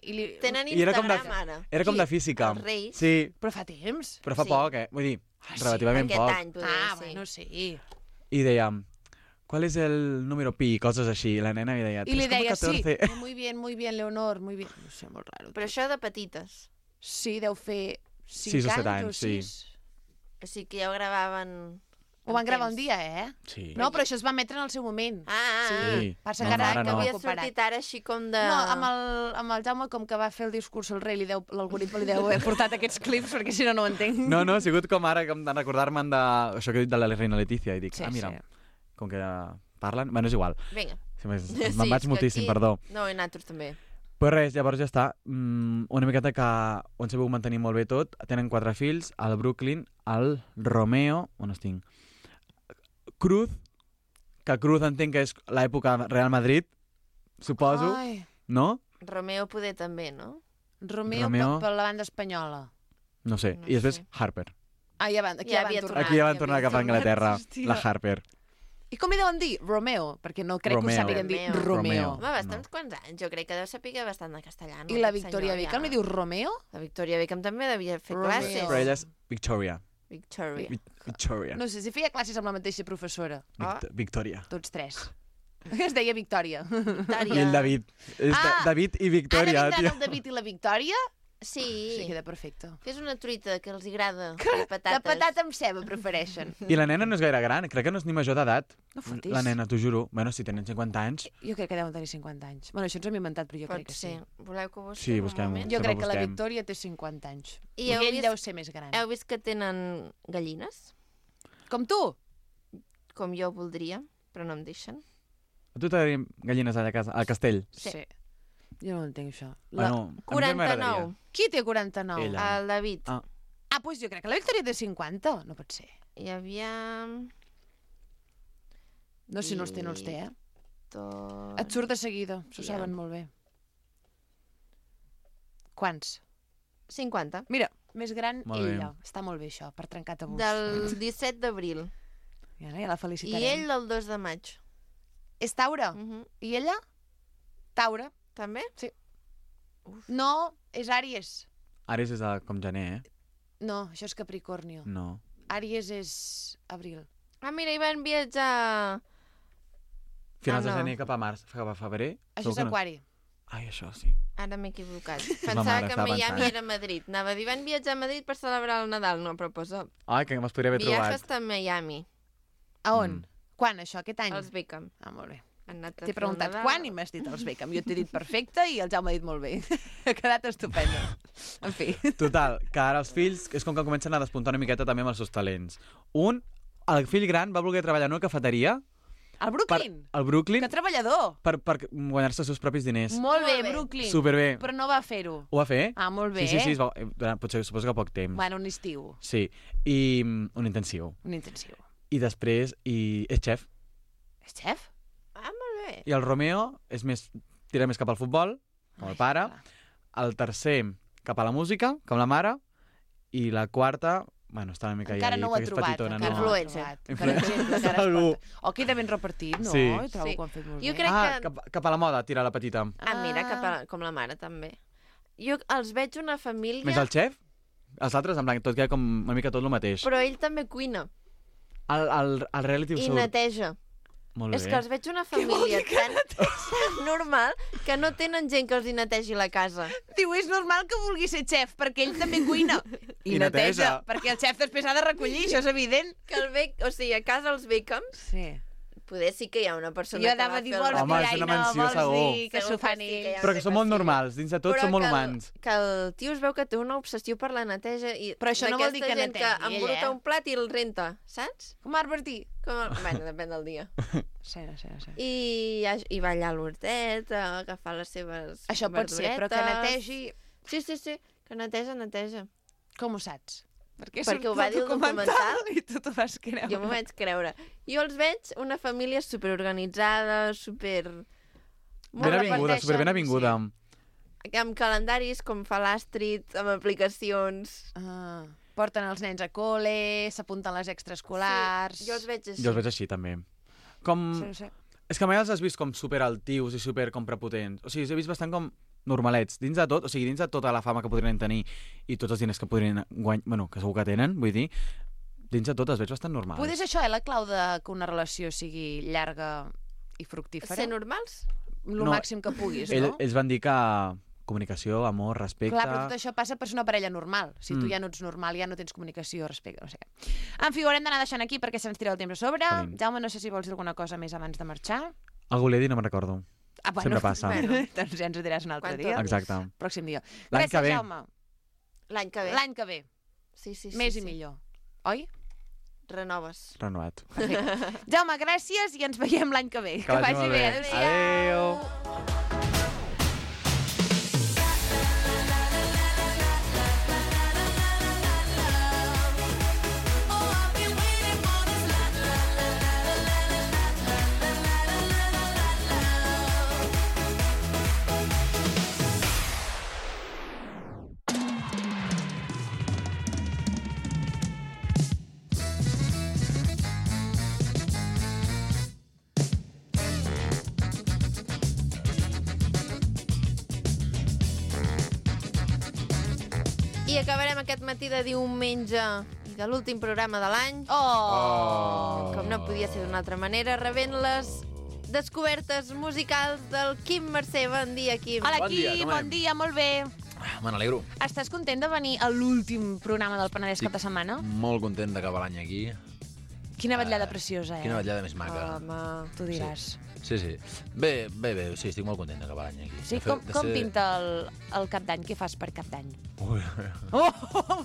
Tenen I era com de- Instagram ara. Era com Qui? de física. Els reis? Sí, Però fa temps. però fa Sí. poc, Vull dir, relativament Aquest poc. any, podria ser. Bueno, sí. I deia, ¿cuál es el número pi? Coses així. I la nena li deia, I li deia, sí, 3,14. muy bien, Leonor, muy bien. No sé, molt raro. Però això de petites. Sí, deu fer 6 o 7 anys anys, sí. 6. O sigui que ja ho gravaven... Ho van amb gravar un temps. dia, Sí. No, però això es va emetre en el seu moment. Sí. Passa No, que ara ara que no. havia comparat. sortit ara així com de... No, amb el Jaume, com que va fer el discurs al rei, l'algoritme li deu haver portat aquests clips, perquè si no, no ho entenc. No, ha sigut com ara, com de recordar-me'n això que he dit de la reina Letícia. I dic, Sí, mira, sí. com que parlen... Bueno, és igual. Vinga. Me'n és vaig que moltíssim, aquí- perdó. No, i nosaltres també. Però res, llavors ja està. Una miqueta que ho han sabut mantenir molt bé tot. Tenen 4 fills, el Brooklyn, el Romeo, on estic? Cruz, que Cruz entenc que és l'època Real Madrid, suposo, Ai, no? Romeo poder també, no? Romeo. Per la banda espanyola. No sé. No I després sé. Harper. Aquí Ja ja van havia tornar. Aquí ja van tornar cap a Anglaterra, Hòstia. la Harper. I com li deuen dir? Romeo, perquè no crec que Romeo. ho sàpiguen dir Romeo. Romeo. Home, bastants quants anys. Jo crec que deu saber bastant de castellà. No, I la aquest Victoria senyor, Beckham ja. li diu Romeo? La Victoria Beckham també devia fer Romeo. classes. Però ella és Victoria. Victoria. Victoria. No sé, si feia classes amb la mateixa professora. Victoria. Tots 3. Es deia Victòria. Victòria. I el David. És David i Victoria, Ara tio. vindran el David i la Victòria Sí. Sí, queda perfecte. Fes una truita que els agrada, de De patates. patata amb ceba prefereixen. I la nena no és gaire gran, crec que no és ni major d'edat. No fotis. La nena, t'ho juro. Bueno, si tenen 50 anys... Jo crec que deuen tenir 50 anys. Bueno, això ens ho hem inventat, però jo crec Pot que ser. sí. Voleu que ho busquem Sí, un busquem-ho. moment? Jo Sempre crec que la busquem. Victòria té 50 anys. I I heu ell vist- deu ser més gran. Heu vist que tenen gallines? Com tu? Com jo voldria, però no em deixen. A tu t'agradaria gallines allà a casa, al castell? Sí. Jo no ho entenc, això. Bueno, a mi també m'agradaria. 49. Qui té 49? Ella. El David. Ah. Doncs jo crec que la Victòria té 50. No pot ser. Hi havia... No, si no els té, no els té, eh? Tot... Et surt de seguida, s'ho Ja. saben molt bé. Quants? 50. Mira, més gran Molt bé. ella. Està molt bé, això, per trencar tabús. Del 17 d'abril. Ja, ja la I felicitarem. ell del 2 de maig. És Taure. I ella? Taure. També? No, és Àries. Ares és com gener, eh? No, això és Capricornio. No. Àries és abril. Ah, mira, hi van viatjar... Finals de no. gener cap a març, cap a febrer. Això segur és que no. Aquari. Ai, això sí. Ara m'he equivocat. Ma Pensava mare que estava Miami pensant. era Madrid. Anava a dir, van viatjar a Madrid per celebrar el Nadal. No, però posa Ai, que me'ls podria haver viatges trobat. a Miami. A on? Mm. Quan, això? Aquest any? Els Beckham. Ah, molt bé. Han anat a T'he fer el preguntat Nadal. quan i m'has dit els Beckham. Jo t'he dit perfecte i el Jaume ha dit molt bé. Ha quedat estupendo. En fi. Total, que ara els fills és com que comencen a despuntar una miqueta també amb els seus talents. El fill gran va voler treballar en una cafeteria El Brooklyn. al Brooklyn Que treballador. per guanyar-se els seus propis diners. Molt bé, Molt bé. Brooklyn. Superbé. Però no va fer-ho. Ho va fer? Ah, molt bé. Sí, sí, sí, potser suposo que poc temps. Bueno, un estiu. Sí, i un intensiu. Un intensiu. I després, és xef. És xef? Ah, molt bé. I el Romeo tira més cap al futbol, com el pare. El tercer, cap a la música, com la mare. I la quarta, bueno, està una mica Encara no ho ha perquè és trobat. petitona, encara no? no ho ha Influencer. trobat. Per exemple, que ara es Algú. porta. O queda ben repartit, no? Sí. Jo trobo Sí. que ho han fet molt Jo bé. crec que- Cap a la moda, tira la petita. Ah, mira, com la mare, també. Jo els veig una família... Més el xef? Els altres, en blanc, tot queda com una mica tot el mateix. Però ell també cuina. El reality ho I surt. neteja. Molt És bé. que els veig una família tan normal que no tenen gent que els hi netegi la casa. Diu, és normal que vulgui ser xef, perquè ell també cuina. I neteja. Perquè el xef després ha de recollir, això és evident. Que o sigui, a casa els Beckham, Sí. poder sí que hi ha una persona Jo que va anava a dir, fer vols el Home, dir, és ai, una no, menció, vols segur. dir que Segur s'ho fan que sí, que ells. hi ha Però que són molt sí. normals, dins de tot són molt humans. Que el tio es veu que té una obsessió per la neteja i Però això no vol dir d'aquesta que gent netegi que ell, embruta eh? un plat i el renta, saps? Com Marc Martí. Bueno, depèn del dia. Sí. I va allà a l'hortet a agafar les seves Això pot ser, però que verduretes. netegi... Sí, que neteja. Com ho saps? Perquè ho va dir el documental i tu t'ho vas creure. Jo m'ho vaig creure. Jo els veig una família superorganitzada, Ben avinguda, super ben avinguda. amb calendaris com fa l'Astrid, amb aplicacions... Ah, porten els nens a col·le, s'apunten les extraescolars... Sí, jo els veig així. Jo els veig així, també. Com... Sí. És que mai els has vist com super altius i super com prepotents. O sigui, els he vist bastant com normalets. Dins de tot, o sigui, dins de tota la fama que podrien tenir i tots els diners que podrien guanyar, bueno, que segur que tenen, vull dir, dins de tot els veig bastant normals. Poder és això, la clau de que una relació sigui llarga i fructífera? Ser normals? Lo No, màxim que puguis, no? Ells van dir que comunicació, amor, respecte... Clar, però tot això passa per ser una parella normal. Si tu ja no ets normal, ja no tens comunicació, respecte, no sé què. En fi, ho haurem d'anar deixant aquí perquè se'ns tira el temps a sobre. Jolín. Jaume, no sé si vols dir alguna cosa més abans de marxar. Algú l'he dit, no me'n recordo. Ah, Sempre passa. Bueno. Doncs ja ens ho diràs un altre Quan dia. tornis. Exacte. Pròxim dia. L'any Gràcies, que ve. Jaume. L'any que ve. L'any que ve. Sí. Més i millor. Oi? Renoves. Renovat. Perfecte. Jaume, gràcies i ens veiem l'any que ve. Que vagi molt bé. Adéu-siau. Adéu. I acabarem aquest matí de diumenge i de l'últim programa de l'any, Oh! com no podia ser d'una altra manera, rebent les descobertes musicals del Quim Mercè. Bon dia, Quim. Hola, Bon dia, Quim, com bon anem? dia, molt bé. Me n'alegro. Estàs content de venir a l'últim programa del Penedès cap de setmana? Molt content d'acabar l'any aquí. Quina vetllada preciosa, Quina vetllada més maca. Home, Tu diràs. Sí. Bé, sí, estic molt content d'acabar l'any aquí. Sí, com pinta el cap d'any? Què fas per cap d'any? Ui.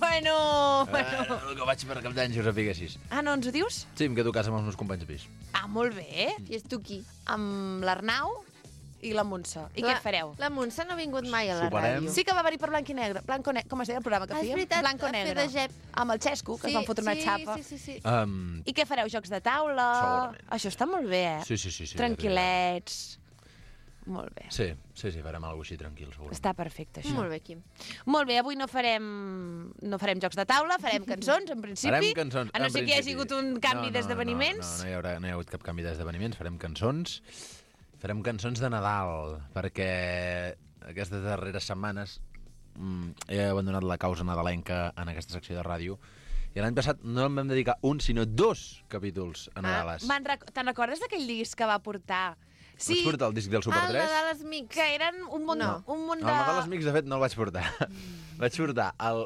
Bueno. El que vaig per cap d'any, si ho sapiguessis. Ah, no ens ho dius? Sí, em quedo a casa amb els meus companys de pis. Ah, molt bé. I és tu qui? Amb l'Arnau i la Montse. I què fareu? La Montse no ha vingut mai a la Soparem. ràdio. Sí que va venir per Blanc i Negre. Com es deia el programa que Ah, és fèiem? veritat, Blanc o a fer Negre. de Jep. Amb el Xesco, que es van fotre una xapa. Sí. I què fareu? Jocs de taula? Segurament. Això està molt bé, eh? Sí. Tranquil·lets. Molt bé. Sí, farem alguna cosa així tranquil, segurament. Està perfecte, això. Molt bé, Quim. Molt bé, avui no farem jocs de taula, farem cançons, en principi. Farem cançons, A no en ser que hi hagi principi. hagut un canvi d'esdeveniments. No hi ha hagut cap canvi d'esdeveniments. Farem cançons. Farem cançons de Nadal, perquè aquestes darreres setmanes he abandonat la causa nadalenca en aquesta secció de ràdio. I l'any passat no em vam dedicar un, sinó 2 capítols a Nadales. Te'n recordes d'aquell disc que va portar? Vaig portar el disc del Super Ah, el 3. Nadal als Mics. Que eren un munt, No. un munt de... El Nadal als Mics, de fet, no el vaig portar. Vaig portar el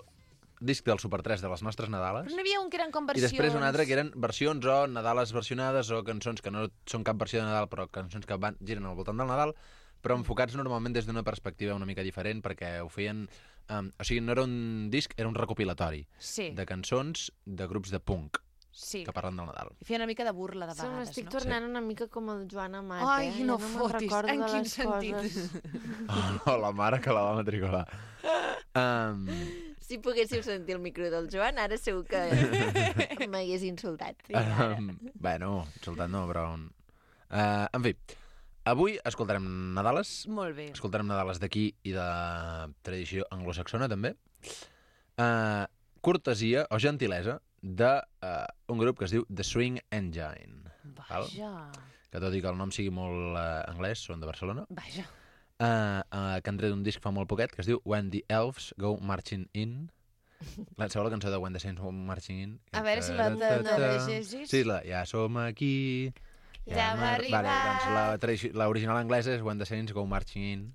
disc del Super 3 de les nostres Nadales. Però n'hi havia un que eren com I versions... després un altre que eren versions o Nadales versionades o cançons que no són cap versió de Nadal, però cançons que giren al voltant del Nadal, però enfocats normalment des d'una perspectiva una mica diferent, perquè ho feien... o sigui, no era un disc, era un recopilatori Sí, de cançons de grups de punk sí. que parlen del Nadal. I feia una mica de burla de Se m'estic vegades, no? tornant una mica com el Joan Amat, Ai, eh? no Ja me'n fotis. recordo En de quin les sentit? coses. Oh, la mare que la va matricular. Si poguéssiu sentir el micro del Joan, ara segur que m'hagués insultat. Bueno, insultat no, però... en fi, avui escoltarem Nadales. Molt bé. Escoltarem Nadales d'aquí i de tradició anglosaxona, també. Cortesia o gentilesa d'un grup que es diu The Swing Engine. Val? Vaja. Que tot i que el nom sigui molt anglès, són de Barcelona. Vaja. Que han tret un disc fa molt poquet que es diu When the Elves Go Marching In. Sabeu la cançó de When the Saints Go Marching In? A veure si la llegeixis. Sí, ja som aquí. Ja hem arribat. Vale, doncs l'original anglesa és When the Saints Go Marching In.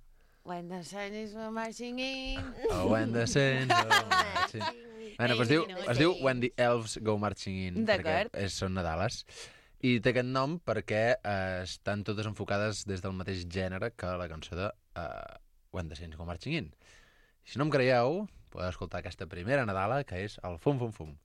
When the sun is marching in... O When the Saints Go Marching In. Bueno, doncs es diu When the Elves Go Marching In, D'acord. perquè són Nadales. I té aquest nom perquè estan totes enfocades des del mateix gènere que la cançó de When the Saints Go Marching In. Si no em creieu, podeu escoltar aquesta primera Nadala, que és el Fum Fum Fum.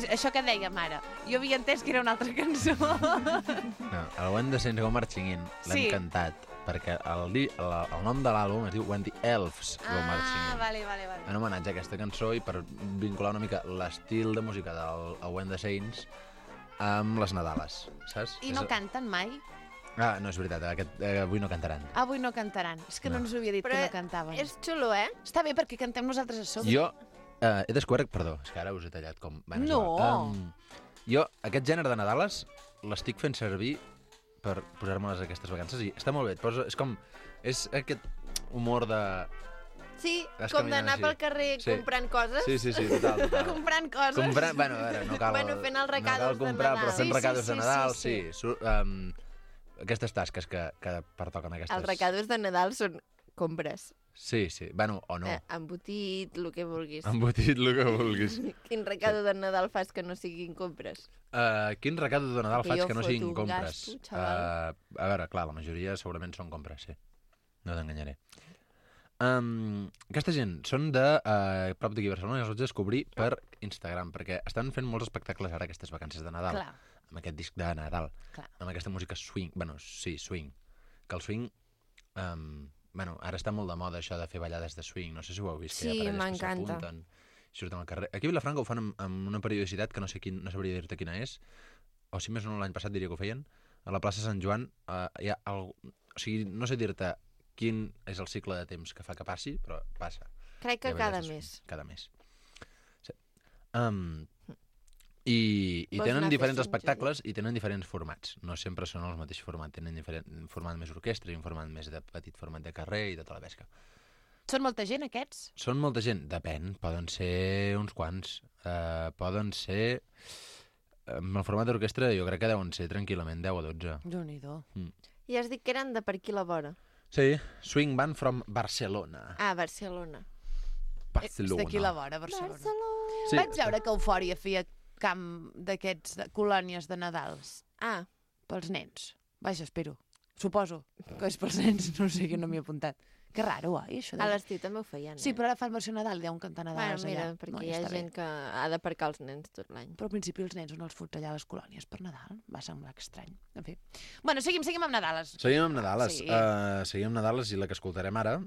això que deia, mare. Jo havia entès que era una altra cançó. No, el When the Saints Go Marching In l'hem Sí. cantat perquè el nom de l'àlbum es diu When the Elves Go Marching In. vale. En homenatge a aquesta cançó i per vincular una mica l'estil de música del When the Saints amb les Nadales, saps? I no canten mai? Ah, no, és veritat, avui no cantaran. Avui no cantaran. És que no ens ho havia dit Però que no cantaven. és xulo, eh? Està bé perquè cantem nosaltres a sobre. Jo he descobert... Perdó, és que ara us he tallat com... Bueno, és No. igual. Jo, aquest gènere de Nadales l'estic fent servir per posar-me-les aquestes vacances i està molt bé. És com... És aquest humor de... Sí, Vas com caminant d'anar així. pel carrer Sí. comprant coses. Sí, total. Comprant coses. Bueno, a veure, no cal... Bueno, fent els recados no cal comprar, de però Nadal. fent Sí, recados sí, de Nadal, sí. Aquestes tasques que pertoquen aquestes... Els recados de Nadal són compres. Sí, bueno, o no. Embotit, el que vulguis. Embotit, el que vulguis. Quin recado de Nadal fas que no siguin compres? Quin recado de Nadal Que faig jo que no foto siguin un compres? gasto, xaval. A veure, clar, la majoria segurament són compres, sí. No t'enganyaré. Aquesta gent són de prop d'aquí a Barcelona i els vaig descobrir per Instagram, perquè estan fent molts espectacles ara aquestes vacances de Nadal. Clar. Amb aquest disc de Nadal. Clar. Amb aquesta música swing. Bueno, sí, swing. Que el swing... ara està molt de moda això de fer ballades de swing. No sé si ho heu vist, que Sí, hi ha parelles que m'encanta. s'apunten i surten al carrer. Aquí a Vilafranca ho fan amb una periodicitat que no sabria dir-te quina és, o si més o no l'any passat diria que ho feien. A la plaça Sant Joan hi ha o sigui, no sé dir-te quin és el cicle de temps que fa que passi, però passa. Crec que Hi ha cada ballades de mes. swing. Cada mes. Sí. I Vols tenen anar diferents fent espectacles i tenen diferents formats. No sempre són els mateixos formats. Tenen un format més orquestra i un format més de petit format de carrer i tota la pesca. Són molta gent, aquests? Són molta gent? Depèn. Poden ser uns quants. Poden ser... Amb el format d'orquestra jo crec que deuen ser tranquil·lament 10 o 12. Déu-n'hi-do. I has dit que eren de per aquí la vora. Sí, Swing Band from Barcelona. Ah, Barcelona. És d'aquí la vora, Barcelona. Sí. Vaig veure que Eufòria feia camp d'aquests colònies de Nadals Ah, pels nens. Vaja, espero. Suposo que és pels nens, no sé, jo no m'hi he apuntat. Que raro, oi, això? a l'estiu també ho feien, Sí, però ara fan versió Nadal, deuen cantar Bueno, Nadals mira, allà. perquè No, hi ha està bé. gent que ha d'aparcar els nens tot l'any. Però al principi els nens on els fots allà a les colònies per Nadal. Va semblar estrany. En fi. Bueno, seguim amb Nadales. Seguim amb Nadales. Sí. Seguim amb Nadales i la que escoltarem ara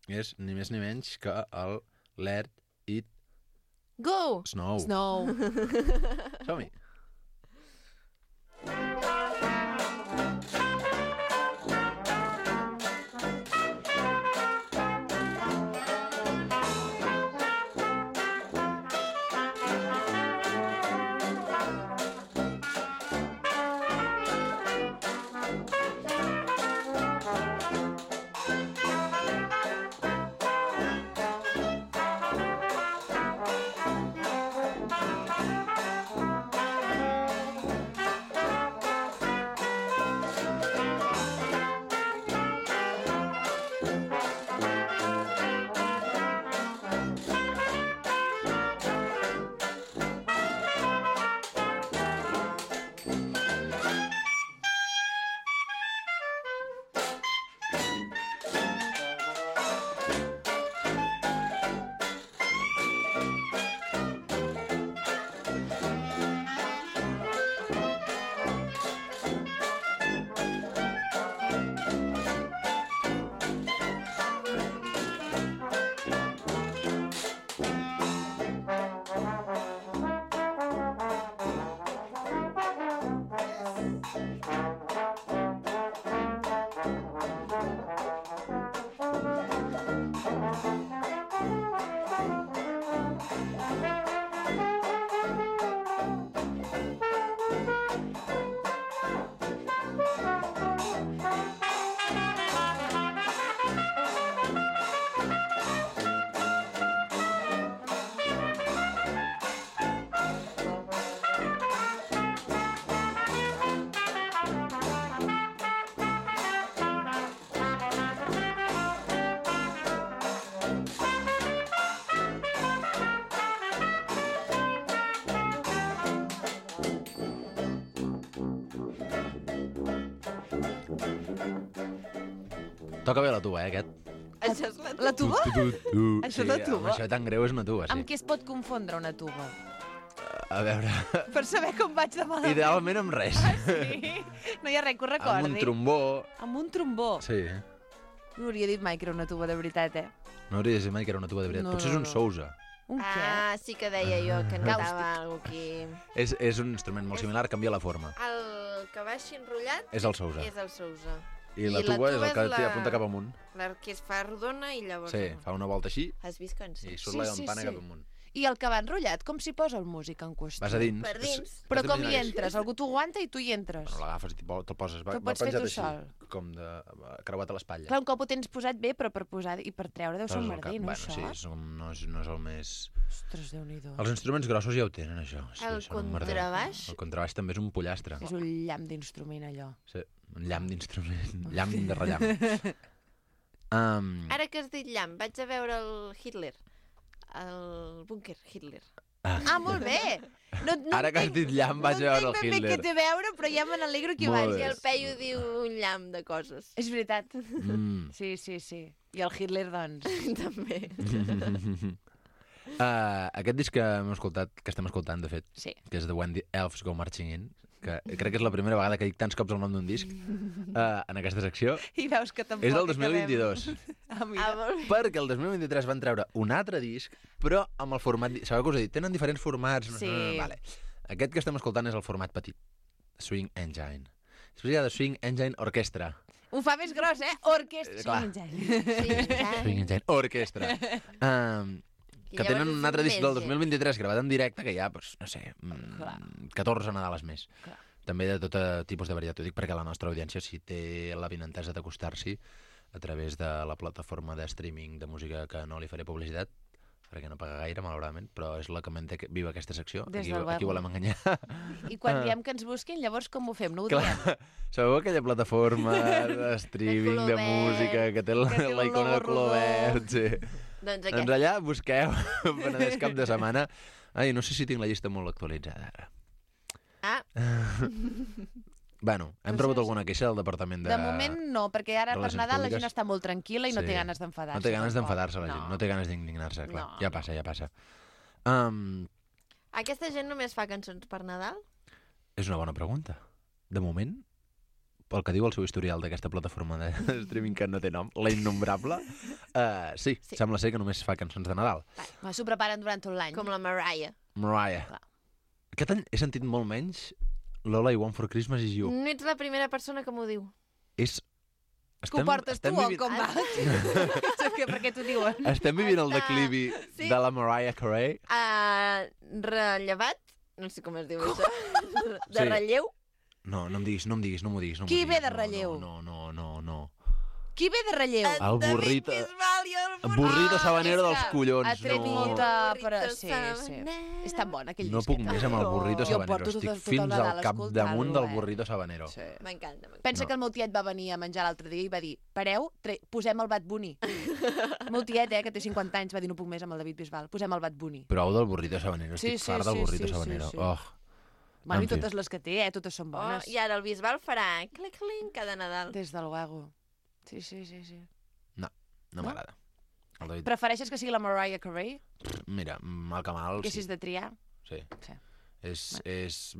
és ni més ni menys que el Let It Go! Snow. Snow. Som-hi. Toca bé la tuba, aquest. Això és la... La tuba? Tu. Això és la tuba? Això tan greu és una tuba, sí. Amb què es pot confondre una tuba? A veure, Per saber com vaig de malament. idealment amb res. Sí. No hi ha res que ho recordi. Amb un trombó. Amb un trombó. Sí. No hauria dit mai que era una tuba de veritat, eh? No hauria de ser mai que era una tuba de veritat. No, Potser no, és un no. Sousa. Un què? Ah, sí que deia jo que notava alguna cosa aquí. És un instrument molt similar, canvia la forma. El que va així enrotllat És el Sousa. és el Sousa. I la tuba és el que la- apunta cap amunt. La que es fa rodona i llavors... Sí, fa una volta així Has vist que en i sí? surt la campana cap amunt. I el que va enrotllat, com s'hi posa el músic en qüestió? Vas a dins. Per dins. Però com hi entres? Algú t'ho aguanta i tu hi entres. Bueno, l'agafes i te'l poses. Te'l pots fer penjat tu així, sol. com de creuat a l'espatlla. Clar, un cop ho tens posat bé, però per posar i per treure deu ser un Poses el cap. merder, no, Bueno, això? sí, no és el més... Ostres, Déu-n'hi-do. Els instruments grossos ja ho tenen, això. Sí, El són un merder. contrabaix? El contrabaix també és un pollastre. És un llamp d'instrument, allò. Sí, un llamp d'instrument. Llamp de rellamp. Ara que has dit llamp, vaig a veure el Hitler. El búnquer Hitler. Ah, molt bé! No Ara que has dit llamp, vaig a veure el No entenc ben bé Hitler. què té a veure, però ja me n'alegro que hi Molt vagi. bé. I el Peyu diu un llamp de coses. És veritat. Mm. Sí, sí, sí. I el Hitler, doncs... També. Aquest disc que estem escoltant, de fet, Sí. que és The When the Elves Go Marching In, que crec que és la primera vegada que dic tants cops el nom d'un disc en aquesta secció, I veus que tampoc és del acabem. 2022. Ah, mira. Ah, molt bé. Perquè el 2023 van treure un altre disc, però amb el format... Sabeu què us he dit? Tenen diferents formats. Sí. Vale. Aquest que estem escoltant és el format petit. Swing Engine. Després hi ha The Swing Engine Orchestra. Ho fa més gros, eh? Orquestra. Clar. Swing Engine Orchestra. Que tenen un altre disc del 2023 gravat en directe que hi ha, doncs, no sé, 14 Nadales més. Clar. També de tot tipus de varietat. Ho dic perquè la nostra audiència, si té l'avinentesa d'acostar-s'hi a través de la plataforma de streaming de música que no li faré publicitat, perquè no paga gaire, malauradament, però és la que manté viu aquesta secció. Des Aquí, del aquí Bebo. volem enganyar. I quan diem que ens busquin, llavors com ho fem? No ho Clar, diem? sabeu aquella plataforma de streaming color de verd, música que té que té la el icona de logo color rodó. verd? Sí. Doncs Doncs aquest. allà busqueu Penedès cap de setmana. Ai, no sé si tinc la llista molt actualitzada ara. Ah, Bueno, hem rebut alguna queixa del departament de... De moment no, perquè ara per Relacions Nadal la Públiques. gent està molt tranquil·la i no Sí. té ganes d'enfadar-se. No té ganes tampoc. d'enfadar-se la gent, no té ganes d'indignar-se, clar. No, Ja passa, ja passa. Um, aquesta gent només fa cançons per Nadal? és una bona pregunta. De moment, pel que diu el seu historial d'aquesta plataforma de streaming que no té nom, la innombrable, sí, Sí. sembla ser que només fa cançons de Nadal. Va, s'ho preparen durant tot l'any. Com la Mariah. Mariah. Clar. Aquest any he sentit molt menys Lola I Want for Christmas is You. No ets la primera persona que m'ho diu. És... Que ho portes tu o com va? Per què t'ho diuen? Estem vivint el Està- declivi sí. de la Mariah Carey. Rellevat? No sé com es diu això. De Sí. relleu? No, no m'ho diguis. No Qui m'ho ve diguis. de relleu? No. Qui ve de relleu? El burrito... El burrito sabanero dels collons. Ha tret no. molta... Burrito Però... Sí, sí. sabanero. És tan bon aquell No disc. puc més amb el burrito Jo sabanero. porto Estic tot el fins Nadal al capdamunt escoltant-lo, del burrito sabanero. Sí. M'encanta. Pensa No. que el meu tiet va venir a menjar l'altre dia i va dir pareu, posem el Bad Bunny. El meu tiet, que té 50 anys, va dir no puc més amb el David Bisbal, posem el Bad Bunny. Prou del burrito sabanero. Sí, Estic sí, fart del sí, burrito sí, sabanero. sí. Oh. Bueno, En i fi. totes les que té, totes són Oh, bones. I ara el Bisbal farà clic-clic cada Nadal. Des del luego. Sí, sí, sí, sí. No No? m'agrada. El David... Prefereixes que sigui la Mariah Carey? Mira, mal que mal, Que sí. si has de triar? Sí. Sí. És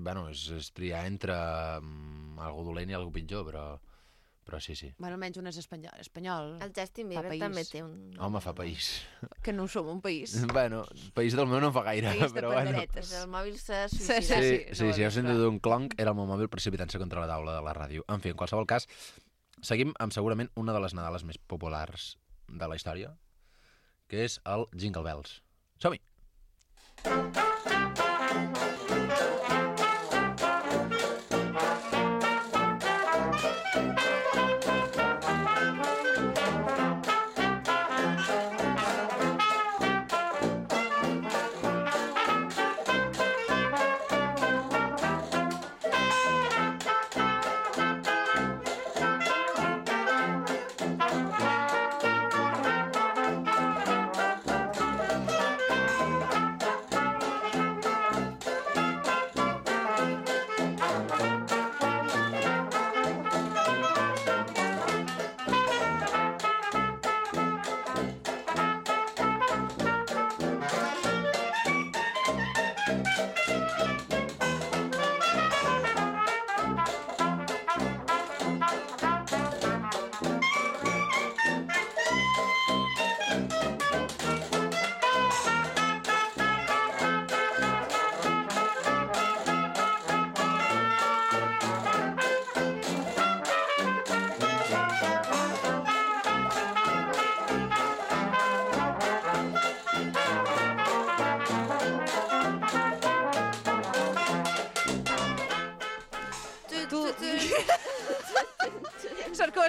triar entre algú dolent i algú pitjor, però sí. Bueno, almenys un és espanyol. El Justin Bieber país. també té un... Home, fa país. Que no som un país. Bueno, país del meu no en fa gaire, País de però bueno. panderetes. El mòbil s'ha Sí, suïcidat. Sí, si heu sentit un clonc, era el meu mòbil precipitant-se contra la taula de la ràdio. En fi, en qualsevol cas, seguim amb segurament una de les Nadales més populars de la història, que és el Jingle Bells. Som-hi!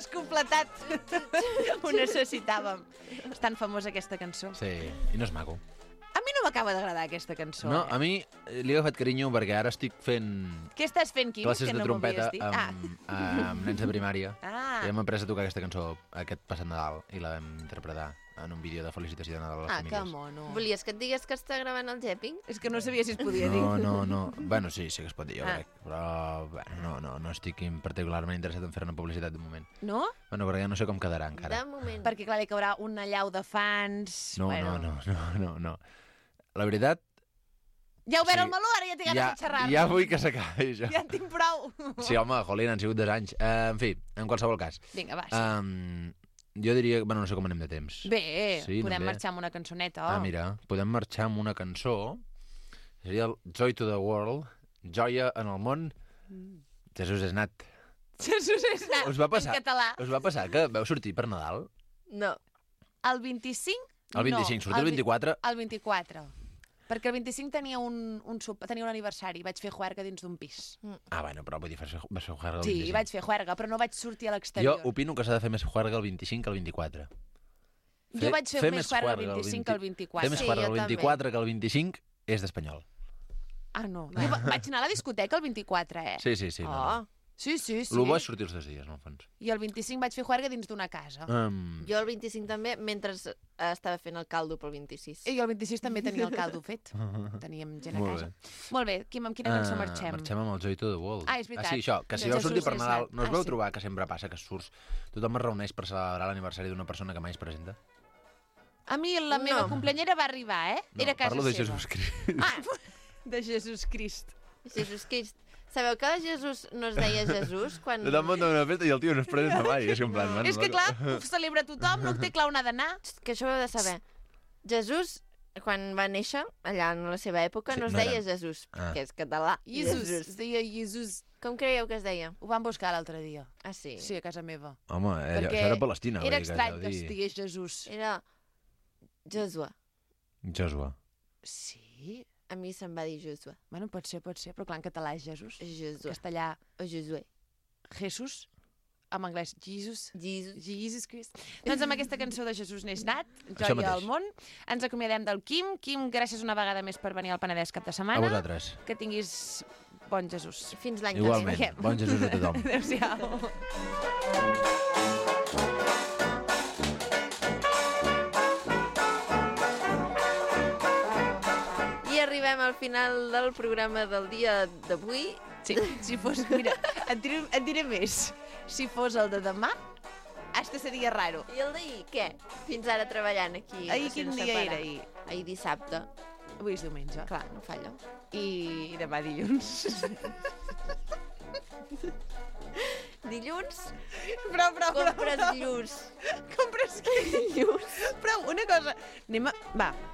has completat. Ho necessitàvem. És tan famosa aquesta cançó. Sí, i no és maco. A mi no m'acaba d'agradar aquesta cançó. No, a mi li he agafat carinyo perquè ara estic fent Què estàs fent, Quim? classes que de no trompeta m'havies dit? amb nens de primària. Ah. I hem après a tocar aquesta cançó aquest passat Nadal i la vam interpretar en un vídeo de felicitació de Nadal a les Que famílies. mono. Volies que et digués que està gravant el Jepping? És que no sabia si es podia dir. No. Bueno, sí que es pot dir, jo crec. Però bueno, no estic particularment interessat en fer una publicitat de moment. No? Bueno, perquè no sé com quedarà encara. De moment. Perquè, clar, li caurà una llau de fans... No. La veritat, Ja he obert Sí. el meló, ara ja té ganes de xerrar. ja vull que s'acabi això. Ja en tinc prou. Sí, home, jolín, han sigut 2 anys. En fi, en qualsevol cas. Vinga, va, sí. Jo diria... Bueno, no sé com anem de temps. Bé, Sí, podem anem bé. marxar amb una cançoneta. Ah, mira, podem marxar amb una cançó. Seria el Joy to the World, Joia en el món. Jesús és nat. Jesús és nat, Us va passar? en català. Us va passar que veu sortir per Nadal? No. El 25? El 25, sortir el 24. El 24. Perquè el 25 tenia tenia un aniversari. Vaig fer juerga dins d'un pis. Ah, bueno, però vull dir, vas fer juerga el Sí, 25. vaig fer juerga, però no vaig sortir a Jo l'exterior. opino que s'ha de fer més juerga el 25 que el 24. Jo vaig fer més juerga el 25 que el 24. Fer més Sí, juerga jo el 24 que el 25 és d'espanyol. Ah, no. Jo vaig anar a la discoteca el 24, eh? Sí. Oh. Sí. El bo és sortir els 2 dies, en el fons. I el 25 vaig fer juerga dins d'una casa. Jo el 25 també, mentre estava fent el caldo pel 26. I el 26 també tenia el caldo fet. Teníem gent a Molt casa. bé. Molt bé, Quim, amb quina cançó marxem? Marxem amb el Joy to the World. Ah, és veritat. sí, això, que si De vau sortir Jesús per és Nadal, nat. no us Ah, veu sí. trobar que sempre passa que surts, tothom es reuneix per celebrar l'aniversari d'una persona que mai es presenta? A mi la meva No. cumpleañera va arribar, eh? No, Era a casa parlo de seva. Jesús Crist. Ah, de Jesús Crist. Jesús Crist. Sabeu que Jesús no es deia Jesús quan... Tothom munta una festa i el tio no es presenta mai. És que en plan... man, És que, loco. clar, ho celebra tothom, no té clar on ha d'anar. Que això ho heu de saber. Jesús, quan va néixer, allà en la seva època, Sí, no es no deia era- Jesús, Ah. que és català. Jesús. Es deia Jesús. Com creieu que es deia? Ho vam buscar l'altre dia. Ah, sí? Sí, a casa meva. Home, allò, Perquè això era Palestina. Era vull dir estrany que deu es dir. digués Jesús. Era Josué. Joshua. Sí? A mi se'm va dir Josué. Bueno, pot ser, però clar, en català és Jesús. Josué. Castellà, O Josué. Jesús. En anglès, Jesus. Jesus. Jesus Christ. Doncs amb aquesta cançó de Jesús n'és nat, Això Joia mateix. al món, ens acomiadem del Quim. Quim, gràcies una vegada més per venir al Penedès cap de A setmana. vosaltres. Que tinguis bon Jesús. Fins l'any Igualment. que ve. Bon Jesús a tothom. Adéu-siau. I arribem al final del programa del dia d'avui. Sí, si fos... Mira, et diré més. Si fos el de demà, hasta seria raro. I el d'ahir, què? Fins ara treballant aquí. Ahir quin sense dia parar. era, ahir? Ahir dissabte. Avui és diumenge. Clar, no falla. I demà dilluns. Dilluns, Prou. compres llurs. Compres llurs. Prou, una cosa.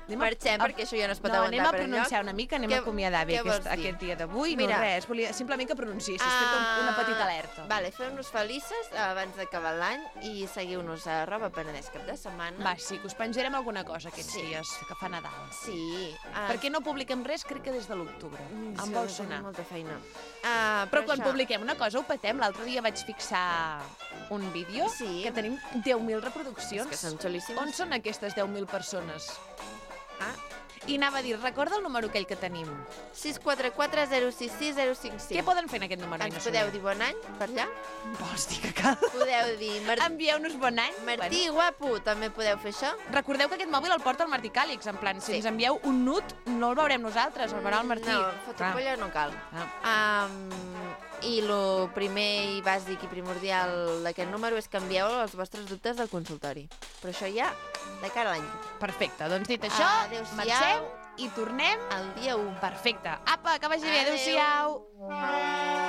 Marxem, perquè això ja no es pot anem aguantar a per pronunciar enlloc. una mica, anem Què- a acomiadar bé què vols dir? aquest dia d'avui. No Mira. res, volia simplement que pronunciessis, fer una petita alerta. Vale, feu-nos felices abans d'acabar l'any i seguiu-nos a Roba Penedès cap de setmana. Va, sí, que us penjarem alguna cosa aquests Sí. dies, que fa Nadal. Sí. Perquè no publiquem res, crec que des de l'octubre. Em vol sonar. Molta feina. Però quan això- publiquem una cosa ho petem. L'altre dia vaig fixar un vídeo Sí. que tenim 10.000 reproduccions. És que són xulíssimes. On són aquestes 10.000 persones? Ah. I anava a dir, recorda el número aquell que tenim. 644 066 055. Què poden fer en aquest número? Ens podeu dir bon any per allà? Vols dir que cal? Podeu dir Envieu-nos bon any. Martí, guapo, també podeu fer això? Recordeu que aquest mòbil el porta el Martí Càlix, en plan, si Sí. ens envieu un nut, no el veurem nosaltres, el veurà el Martí. No, fotopolla no cal. I el primer i bàsic i primordial d'aquest número és que envieu els vostres dubtes del consultori. Però això ja de cara a l'any. Perfecte, doncs dit això, Adéu-siau. marxem i tornem El dia 1. Perfecte. Apa, que vagi bé, Adéu. adéu-siau.